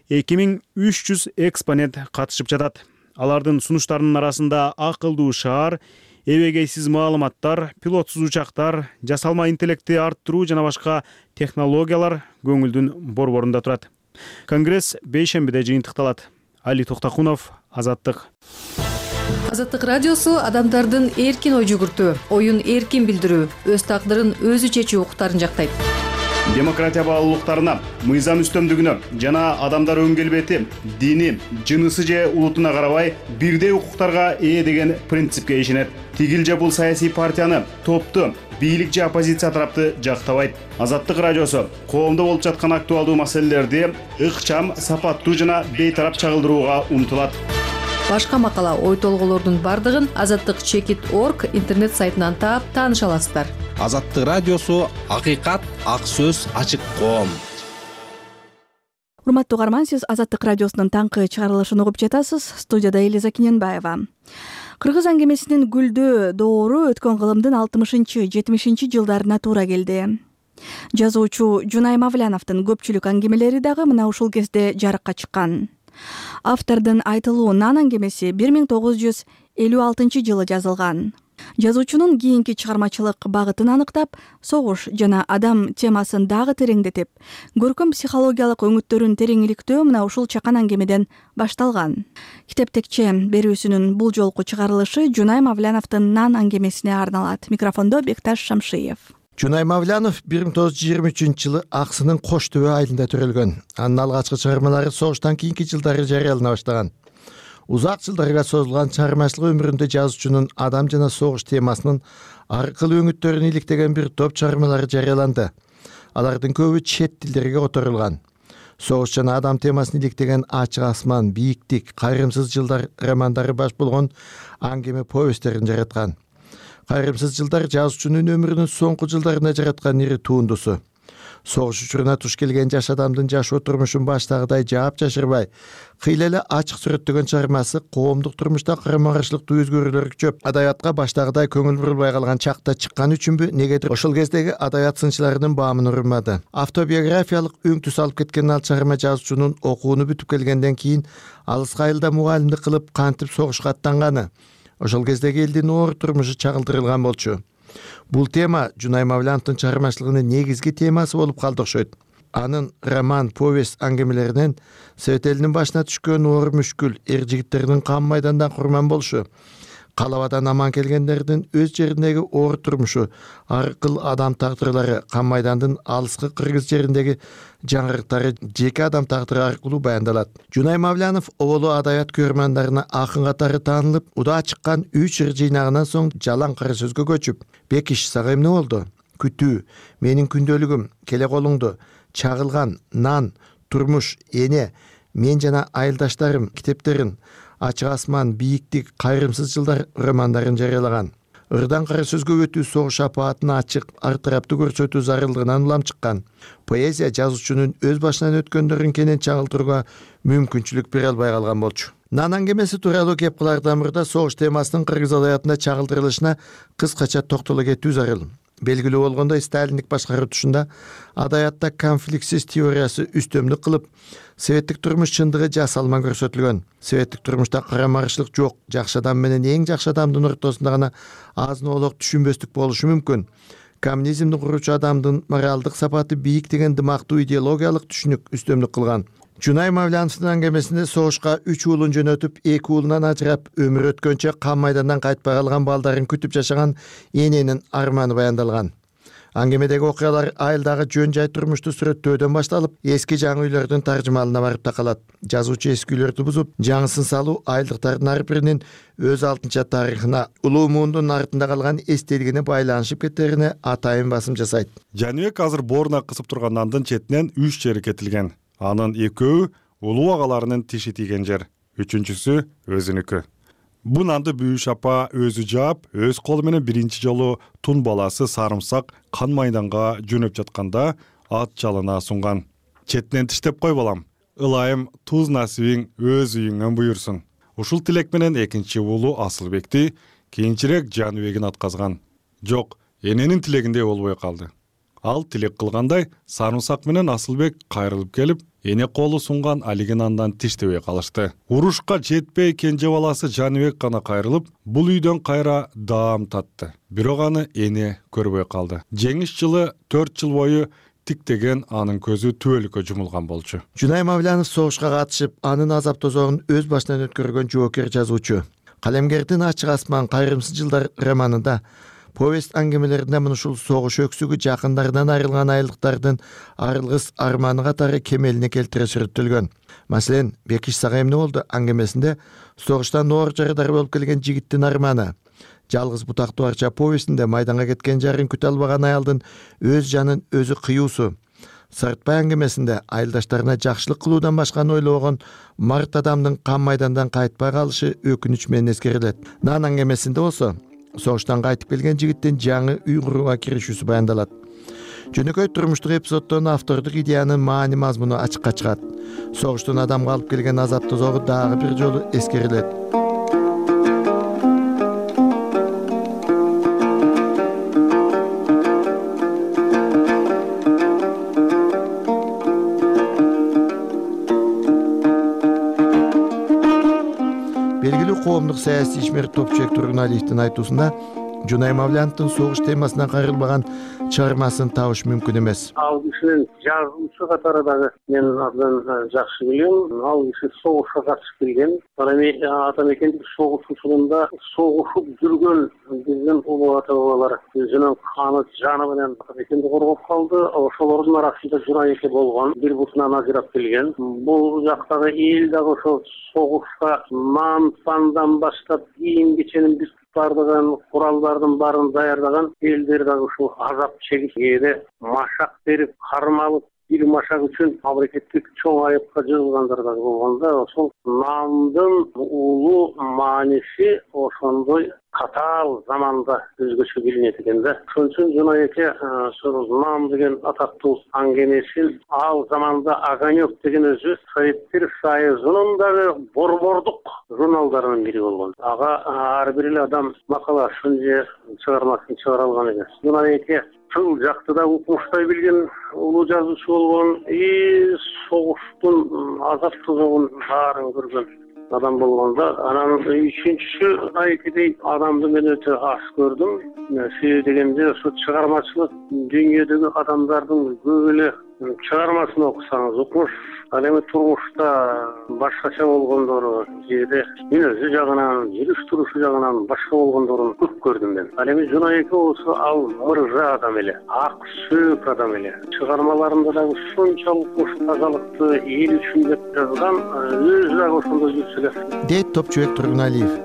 эки миң үч жүз экспонент катышып жатат. Алардын сунуштарынын арасында акылдуу шаар, эбегейсиз маалыматтар, пилотсуз учактар, жасалма интеллектти арттыруу жана башка технологиялар көңүлдүн борборунда турат. Конгресс бейшембиде жыйынтыкталат. Али Токтакунов, Азаттык. Азаттык радиосу адамдардын эркин ой жүгүртүү, оюн эркин билдирүү, өз тагдырын өзү чечүү укуктарын жактайт. Демократия баалуулуктарына, мыйзам үстөмдүгүнө жана адамдар өң келбети, дини, жынысы же улутуна карабай бирдей укуктарга ээ деген принципке ишенет. Тигил же бул саясий партияны, топту, бийлик же оппозиция тарапты жактабайт. Азаттык радиосу коомдо болуп жаткан актуалдуу маселелерди ыкчам, сапаттуу жана бейтарап чагылдырууга умтулат. Башка макала, ой толголордун бардыгын азаттык чекит точка орг интернет сайтынан таап тааныша аласыздар. Азаттык радиосу акыйкат, ак сөз, ачык коом. Урматтуу угарман, сиз Азаттык радиосунун таңкы чыгарылышын угуп жатасыз. Студияда Элиза Кененбаева. Кыргыз аңгемесинин гүлдөө доору өткөн кылымдын алтымышынчы жетимишинчи жылдарына туура келди. Жазуучу Жунай Мавляновдун көпчүлүк аңгемелери дагы мына ушул кезде жарыкка чыккан. Автордун айтылуу Нан аңгемеси бир миң тогуз жүз элүү алтынчы жылы жазылган. Жазуучунун кийинки чыгармачылык багытын аныктап, согуш жана адам темасын дагы тереңдетип, көркөм психологиялык өңүттөрүн тереңиликтөө мына ушул чакан аңгемеден башталган. Китептекче берүүсүнүн бул жолку чыгарылышы Жунай Мавляновдун Нан аңгемесине арналат. Микрофондо Бекташ Шамшиев. Жунай Мавлянов бир миң тогуз жүз жыйырма үчүнчү жылы Аксынын Кош төбө айылында төрөлгөн. Анын алгачкы чыгармалары согуштан кийинки жылдары жарыялана баштаган. Узак жылдарга созулган чыгармачылык өмүрүндө жазуучунун адам жана согуш темасынын ар кыл өңүттөрүн иликтеген бир топ чыгармалары жарыяланды. Алардын көбү чет тилдерге которулган. Согуш жана адам темасын иликтеген Ачык асман, Бийиктик, Кайрымсыз жылдар романдары баш болгон аңгеме повесттерин жараткан. Кайрымсыз жылдар жазуучунун өмүрүнүн соңку жылдарында жараткан ири туындусу. Согуш учуруна туш келген жаш адамдын жашоо турмушун баштагыдай жаап жашырбай, кыйла эле ачык сүрөттөгөн чыгармасы коомдук турмушта карама каршылыктуу өзгөрүүлөр күчөп, адабиятка баштагыдай көңүл бурулбай калган чакта чыккан үчүнбү, негедир ошол кездеги адабият сынчыларынын баамын урмады. Автобиографиялык өң түс алып кеткен ал чыгарма жазуучунун окууну бүтүп келгенден кийин алыска айылда мугалимдик кылып кантип согушка аттанганы, ошол кездеги элдин оор турмушу чагылдырылган болчу. Бул тема Жунай Мавляновдун чыгармачылыгынын негизги темасы болуп калды окшойт. Анын роман, повесть аңгемелеринен Совет элинин башына түшкөн оор мүшкүл, эр жигиттердин кам майдандан курман болушу, калабадан аман келгендердин өз жериндеги оор турмушу, ар кыл адам тагдырлары, кам майдандын алыскы Кыргыз жериндеги жаңырыктары жеке адам тагдыры аркылуу баяндалат. Жунай Мавлянов оболу адабият көрмандарына акын катары таанылып, удаа чыккан үч ыр жыйнагынан соң Жалаң кара сөзгө көчүп, Бекиш сага эмне болду, Күтүү, Менин күндөлүгүм, Келе колуңду, Чагылган, Нан, Турмуш, Эне, Мен жана айылдаштарым китептерин, Ачык асман, Бийиктик, Кайрымсыз жылдар романдарын жарыялаган. Ырдан кара сөзгө өтүү согуш апаатын ачык, ар тараптуу көрсөтүү зарылдыгынан улам чыккан. Поэзия жазуучунун өз башынан өткөндөрүн кенен чагылдырууга мүмкүнчүлүк бере албай калган болчу. Нан аңгемеси тууралуу кеп кылардан мурда согуш темасынын кыргыз адабиятында чагылдырылышына кыскача токтоло кетүү зарыл. Белгилүү болгондой, сталиндик башкаруу тушунда адабиятта конфликтсиз теориясы үстөмдүк кылып, советтик турмуш чындыгы жасалма көрсөтүлгөн. Советтик турмушта карама каршылык жок, жакшы адам менен эң жакшы адамдын ортосунда гана азын-оолок түшүнбөстүк болушу мүмкүн. Коммунизмди куручу адамдын моралдык сапаты бийик деген дымактуу идеологиялык түшүнүк үстөмдүк кылган. Жунай Мавляновдун аңгемесинде согушка үч уулун жөнөтүп, эки уулунан ажырап, өмүр өткөнчө кан майдандан кайтпай калган балдарын күтүп жашаган эненин арманы баяндалган. Аңгемедеги окуялар айылдагы жөн жай турмушту сүрөттөөдөн башталып, эски жаңы үйлөрдүн таржымалына барып такалат. Жазуучу эски үйлөрдү бузуп, жаңысын салуу айылдыктардын ар биринин өз алтынча тарыхына, улуу муундун артында калган эстелигине байланышып кеттерине атайын басым жасайт. Жаныбек азыр бооруна кысып турган нандын четинен үч жери кетилген. Анын экөө улуу агаларынын тиши тийген жер, үчүнчүсү өзүнүкү. Бу нанды Бүйүш апа өзү жаап, өз колу менен биринчи жолу тун баласы Сарымсак кан майданга жөнөп жатканда ат жалына сунган. Четинен тиштеп кой балам, ылайым туз насибиң өз үйүңөн буйурсун. Ушул тилек менен экинчи уулу Асылбекти кийинчерээк Жаныбегин атказган. Жок, эненин тилегиндей болбой калды. Ал тилек кылгандай Сарымсак менен Асылбек кайрылып келип, эне колу сунган алигин андан тиштебей калышты. Урушка жетпей кенже баласы Жаныбек гана кайрылып, бул үйдөн кайра даам татты. Бирок аны эне көрбөй калды. Жеңиш жылы төрт жыл бою тиктеген анын көзү түбөлүккө жумулган болчу. Жунай Мавлянов согушка катышып, анын азап тозогун өз башынан өткөргөн жоокер жазуучу. Калемгердин Ачык асман кайрымсыз жылдар романында повесть аңгемелеринде мына ушул согуш өксүгү жакындарынан айрылган айылдыктардын арылгыс арманы катары кемелине келтире сүрөттөлгөн. Маселен, Бекиш сага эмне болду аңгемесинде согуштан оор жарыдар болуп келген жигиттин арманы, Жалгыз бутактуу арча повестинде майданга кеткен жарын күтө албаган аялдын өз жанын өзү кыюусу, Сартбай аңгемесинде айылдаштарына жакшылык кылуудан башканы ойлобогон март адамдын кан майдандан кайтпай калышы өкүнүч менен эскерилет. Нан аңгемесинде болсо согуштан кайтып келген жигиттин жаңы үй курууга киришүүсү баяндалат. Жөнөкөй турмуштук эпизоддон автордук идеянын маани мазмуну ачыкка чыгат. Согуштун адамга алып келген азап тозогу дагы бир жолу эскерилет. Белгилүү коомдук саясий ишмер Топчубек Тургуналиевдин айтуусунда Жунай Мавляновдун согуш темасынан кайрылбаган чыгармасын табыш мүмкүн эмес. Ал кишинин жазуучу катары дагы мен абдан жакшы билем. Ал киши согушка катышып келген. Ата мекендик согуш учурунда согушуп жүргөн биздин улуу ата бабалар өзүнүн каны жаны менен ата мекенди коргоп калды. Ошолордун арасында Жунай эке болгон, бир бутунан ажырап келген. Бул жактагы эл дагы ошол согушка нан пандан баштап кийим кеченин биз бардыгын куралдардын баарын даярдаган элдер дагы ушул азап чегип, кээде машак берип, кармалып, бир машак үчүн мамлекеттик чоң айыпка жыгылгандар дагы болгондо, ошол нандын улуу мааниси ошондой катаал заманда өзгөчө билинет экен да. Ошон үчүн Жунай эке ошол нан деген атактуу аңгемесин ал заманда Огонек деген өзү Советтер Союзунун дагы борбордук журналдарынын бири болгон. Ага ар бир эле адам макаласын же чыгармасын чыгара алган экен. Жунай эке тыл жакты да укмуштай билген улуу жазуучу болгон, и согуштун азап тозогун баарын көргөн адам болгондо, анан үчүнчүсү айкидей адамды мен өтө аз көрдүм. Себеби дегенде ошо чыгармачылык дүйнөдөгү адамдардын көп эле чыгармасын окусаңыз, укмуш ал эми турмушта башкача болгондору, жеде мүнөзү жагынан, жүрүш турушу жагынан башка болгондорун көп көрдүм мен. Ал эми Жунай эке болсо ал мырза адам эле, ак сөөк адам эле. Чыгармаларында дагы ушунчалык уш тазалыкты эл үчүн деп жазган, өзү дагы ошондой жүрсө эле. Дейт Топчубек Тургуналиев.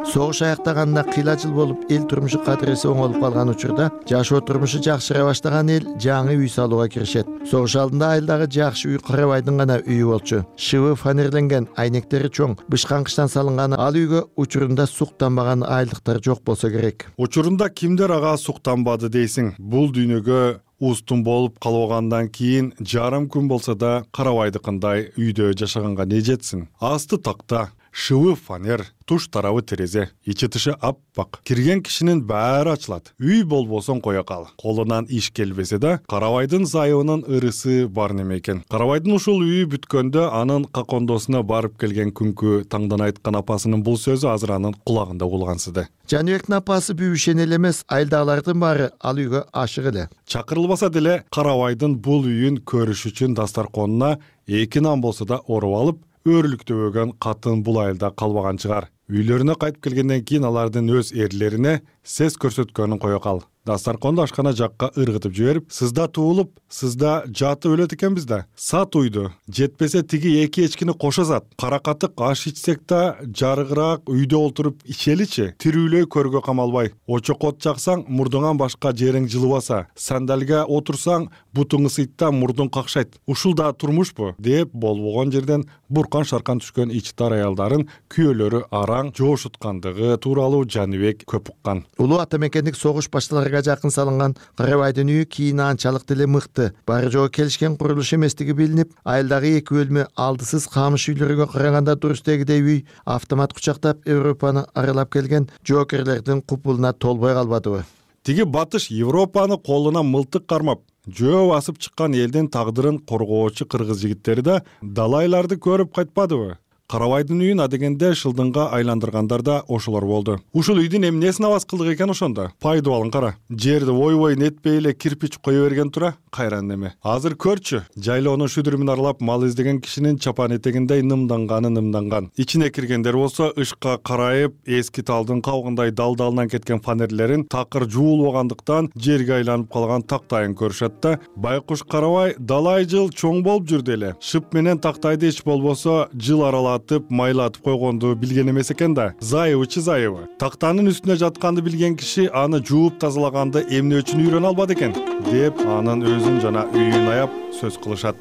Согуш аяктаганда кыйла жыл болуп, эл турмушу кадыреси оңолуп калган учурда жашоо турмушу жакшыра баштаган эл жаңы үй салууга киришет. Согуш алдында айылдагы жакшы үй Карабайдын гана үйү болчу. Шыбы фанерленген, айнектери чоң, бышкан кыштан салынган ал үйгө учурунда суктанбаган айылдыктар жок болсо керек. Учурунда кимдер ага суктанбады дейсиң? Бул дүйнөгө устун болуп калгандан кийин жарым күн болсо да Карабайдыкындай үйдө жашаганга не жетсин? Асты такта, шыбы фанер, туш тарабы терезе, ичи тышы аппак. Кирген кишинин баары ачылат. Үй болбосоң кое кал. Колунан иш келбесе да, Карабайдын зайыбынын ырысы бар неме экен. Карабайдын ушул үйү бүткөндө анын какондосуна барып келген күнкү таңдан айткан апасынын бул сөзү азыр анын кулагында улгансыды. Жаныбектин апасы бүйүшен эле эмес, айылдагылардын баары ал үйгө ашык эле. Чакырылбаса деле Карабайдын бул үйүн көрүш үчүн дастарконуна эки нан болсо да оруп алып, өөрүлүктөбөгөн катын бул айылда калбаган чыгар. Үйлөрүнө кайтып келгенден кийин алардын өз эрлерине сес көрсөткөнүн кое кал. Дастарконду ашкана жакка ыргытып жиберип, сызда туулуп, сызда жатып өлөт экенбиз да. Сат уйду, жетпесе тиги эки эчкини кошо сат. Каракатык аш ичсек да, жарыгыраак үйдө олтуруп ичеличи. Тирүүлөй көргө камалбай. Очокот жаксаң, мурдуңан башка жериң жылыбаса. Сандалга отурсаң, бутуң ысыйт, мурдуң какшайт. Ушул да турмушпу? Деп болбогон жерден буркан шаркан түшкөн ичтар аялдарын күйөөлөрү араң жоошуткандыгы тууралуу Жаныбек көп уккан. Улуу ата мекендик согуш башталарга жакын салынган Карабайдын үйү кийин анчалык деле мыкты, баары жоо келишкен курулуш эместиги билинип, айылдагы эки бөлмө алдысыз камыш үйлөргө караганда турустегидей үй автомат кучактап Европаны аралап келген жоокерлердин купулуна толбой калбадыбы? Тиги батыш Европаны колуна мылтык кармап, жөө басып чыккан элдин тагдырын коргоочу кыргыз жигиттери да далайларды көрүп кайтпадыбы? Карабайдын үйүн адегенде шылдыңга айландыргандар да ошолор болду. Ушул үйдүн эмнесин абас кылдык экен ошондо? Пайды алың кара. Жерди ойбой нетпей эле кирпич кое берген тура, кайран неме. Азыр көрчү, жайлоонун шүдүрүмүн аралап мал издеген кишинин чапан этегиндей нымданганы нымданган. Ичине киргендер болсо ышка карайып, эски талдын кабыгындай дал-далынан кеткен фанерлерин такыр жуулбагандыктан жерге айланып калган тактайын көрүшөт да, байкуш Карабай далай жыл чоң болуп жүрдү эле. Шып менен тактайды эч болбосо жыл аралап майлатып койгонду билген эмес экен да. Зайыбычы зайыбы. Тактанын үстүнө жатканды билген киши аны жууп тазалаганды эмне үчүн үйрөнө албады экен деп анын өзүн жана үйүн аяп сөз кылышат.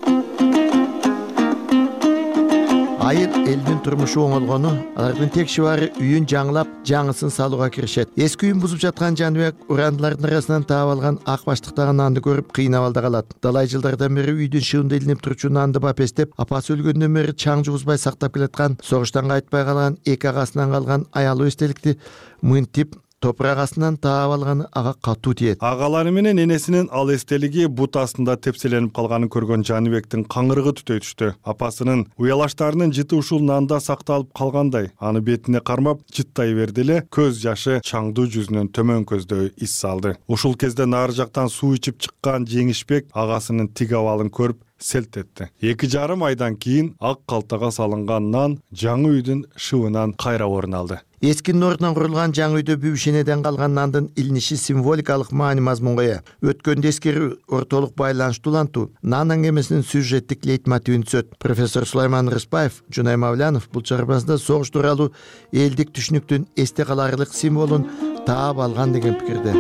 Айыл элдин турмушу оңолгону, алардын тек шибары үйүн жаңылап, жаңысын салууга киришет. Эски үйүн бузуп жаткан Жаныбек урандылардын арасынан таап алган ак баштыктагы нанды көрүп кыйнап алда калат. Далай жылдардан бери үйдүн шыгында илинип турчу нанды бапестеп, апасы өлгөндөн бери чаң жугузбай сактап келаткан, согуштан кайтпай калган эки агасынан калган аялуу эстеликти мынтип топурак астынан таап алганы ага катуу тиет. Агалары менен энесинин ал эстелиги бут астында тепселенип калганын көргөн Жаныбектин каңырыгы түтөй түштү. Апасынын уялаштарынын жыты ушул нанда сакталып калгандай, аны бетине кармап жыттай берди эле, көз жашы чаңдуу жүзүнөн төмөн көздөй ис салды. Ушул кезде нары жактан суу ичип чыккан Жеңишбек агасынын тиг абалын көрүп селт этти. Эки жарым айдан кийин ак калтага салынган нан жаңы үйдүн шыбынан кайра орун алды. Эскинин ордунан курулган жаңы үйдө бүйүшенеден калган нандын илиниши символикалык маани мазмунга ээ. Өткөндө эскерүү ортолук байланыштуу улантуу нан аңгемесинин сюжеттик лейтмотивин түзөт. Профессор Сулайман Рыспаев, Жунай Мавлянов бул чыгармасында согуш тууралуу элдик түшүнүктүн эсте каларлык символун таап алган деген пикирде.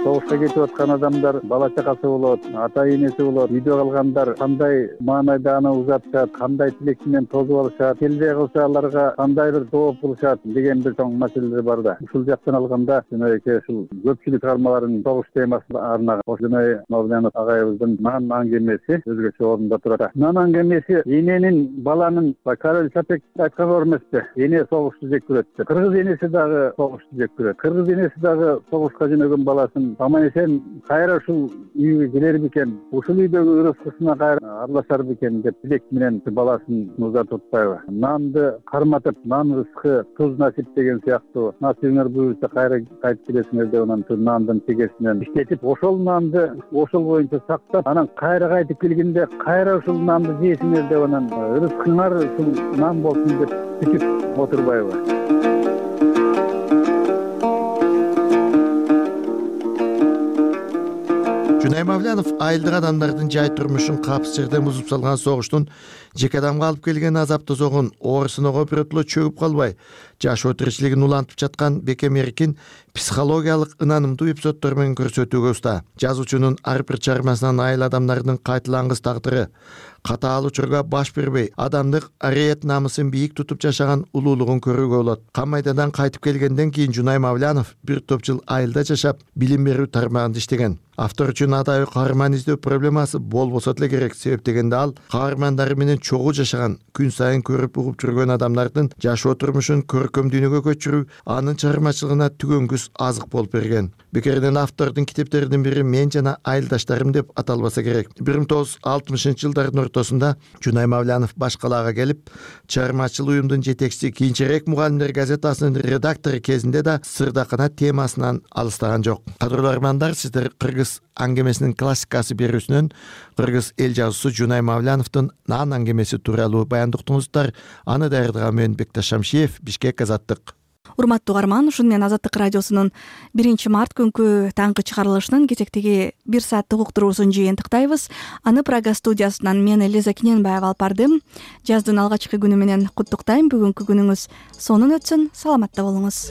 Согушка кетип аткан адамдар бала чакасы болот, ата энеси болот, үйдө калгандар кандай маанайда аны узатышат, кандай тилек менен тосуп алышат, келбей калса аларга кандай бир жооп кылышат деген бир чоң маселелер бар да. Ушул жактан алганда жөнөйкө ушул көпчүлүк чыгармаларын согуш темасына арнаган. Жунай Мавлянов агайыбыздын нан аңгемеси өзгөчө орунда турат. Нан аңгемеси эненин баланын Карел Чапек айткан бар эмеспи? Эне согушту жек көрөт деп. Кыргыз энеси дагы согушту жек көрөт. Кыргыз энеси дагы согушка жөнөгөн баласын аман эсен кайра ушул үйгө келер бекен, ушул үйдөгү ырыскысына кайра аралашар бекен деп тилек менен баласын узатып атпайбы? Нанды карматып, нан рызкы туз насип деген сыяктуу, насибиңер буюрса кайра кайтып келесиңер деп анан нандын тегесинен иштетип, ошол нанды ошол боюнча сактап, анан кайра кайтып келгенде кайра ушул нанды жейсиңер деп анан рызкыңар ушул нан болсун деп күтүп отурбайбы? Жунай Мавлянов айылдык адамдардын жай турмушун капсыз жерден бузуп салган согуштун жеке адамга алып келген азап тозогун оорусунага биротоло чөгүп калбай, жашоо тиричилигин улантып жаткан бекем эркин психологиялык ынанымдуу эпизоддор менен көрсөтүүгө уста. Жазуучунун ар бир чыгармасынан айыл адамдардын кайталангыс тагдыры, катаал учурга баш бербей, адамдык ариет намысын бийик тутуп жашаган улуулугун көрүүгө болот. Кам майдадан кайтып келгенден кийин Жунай Мавлянов бир топ жыл айылда жашап, билим берүү тармагында иштеген. Автор үчүн атайы каарман издөө проблемасы болбосо деле керек, себеп дегенде ал каармандары менен чогуу жашаган, күн сайын көрүп угуп жүргөн адамдардын жашоо турмушун көркөм дүйнөгө көчүрүү анын чыгармачылыгына түгөнгүс азык болуп берген. Бекеринен автордун китептеринин бири Мен жана айылдаштарым деп аталбаса керек. бир миң тогуз жүз алтымышынчы жылдардын ортосунда Жунай Мавлянов баш калаага келип, чыгармачыл уюмдун жетекчиси, кийинчерээк Мугалимдер газетасынын редактору кезинде да сырдакана темасынан алыстаган жок. Кадырлуу армандар, сиздер кыргыз аңгемесинин классикасы берүүсүнөн кыргыз эл жазуусу Жунай Мавляновдун Нан аңгемеси тууралуу баяндоо уктуңуздар. Аны даярдаган мен Бекташ Шамшиев, Бишкек, Азаттык. Урматтуу угарман, ушуну менен Азаттык радиосунун биринчи март күнкү таңкы чыгарылышынын кезектеги бир сааттык уктуруусун жыйынтыктайбыз. Аны Прага студиясынан мен Элиза Киненбаева алып бардым. Жаздын алгачкы күнү менен куттуктайм. Бүгүнкү күнүңүз сонун өтсүн. Саламатта болуңуз.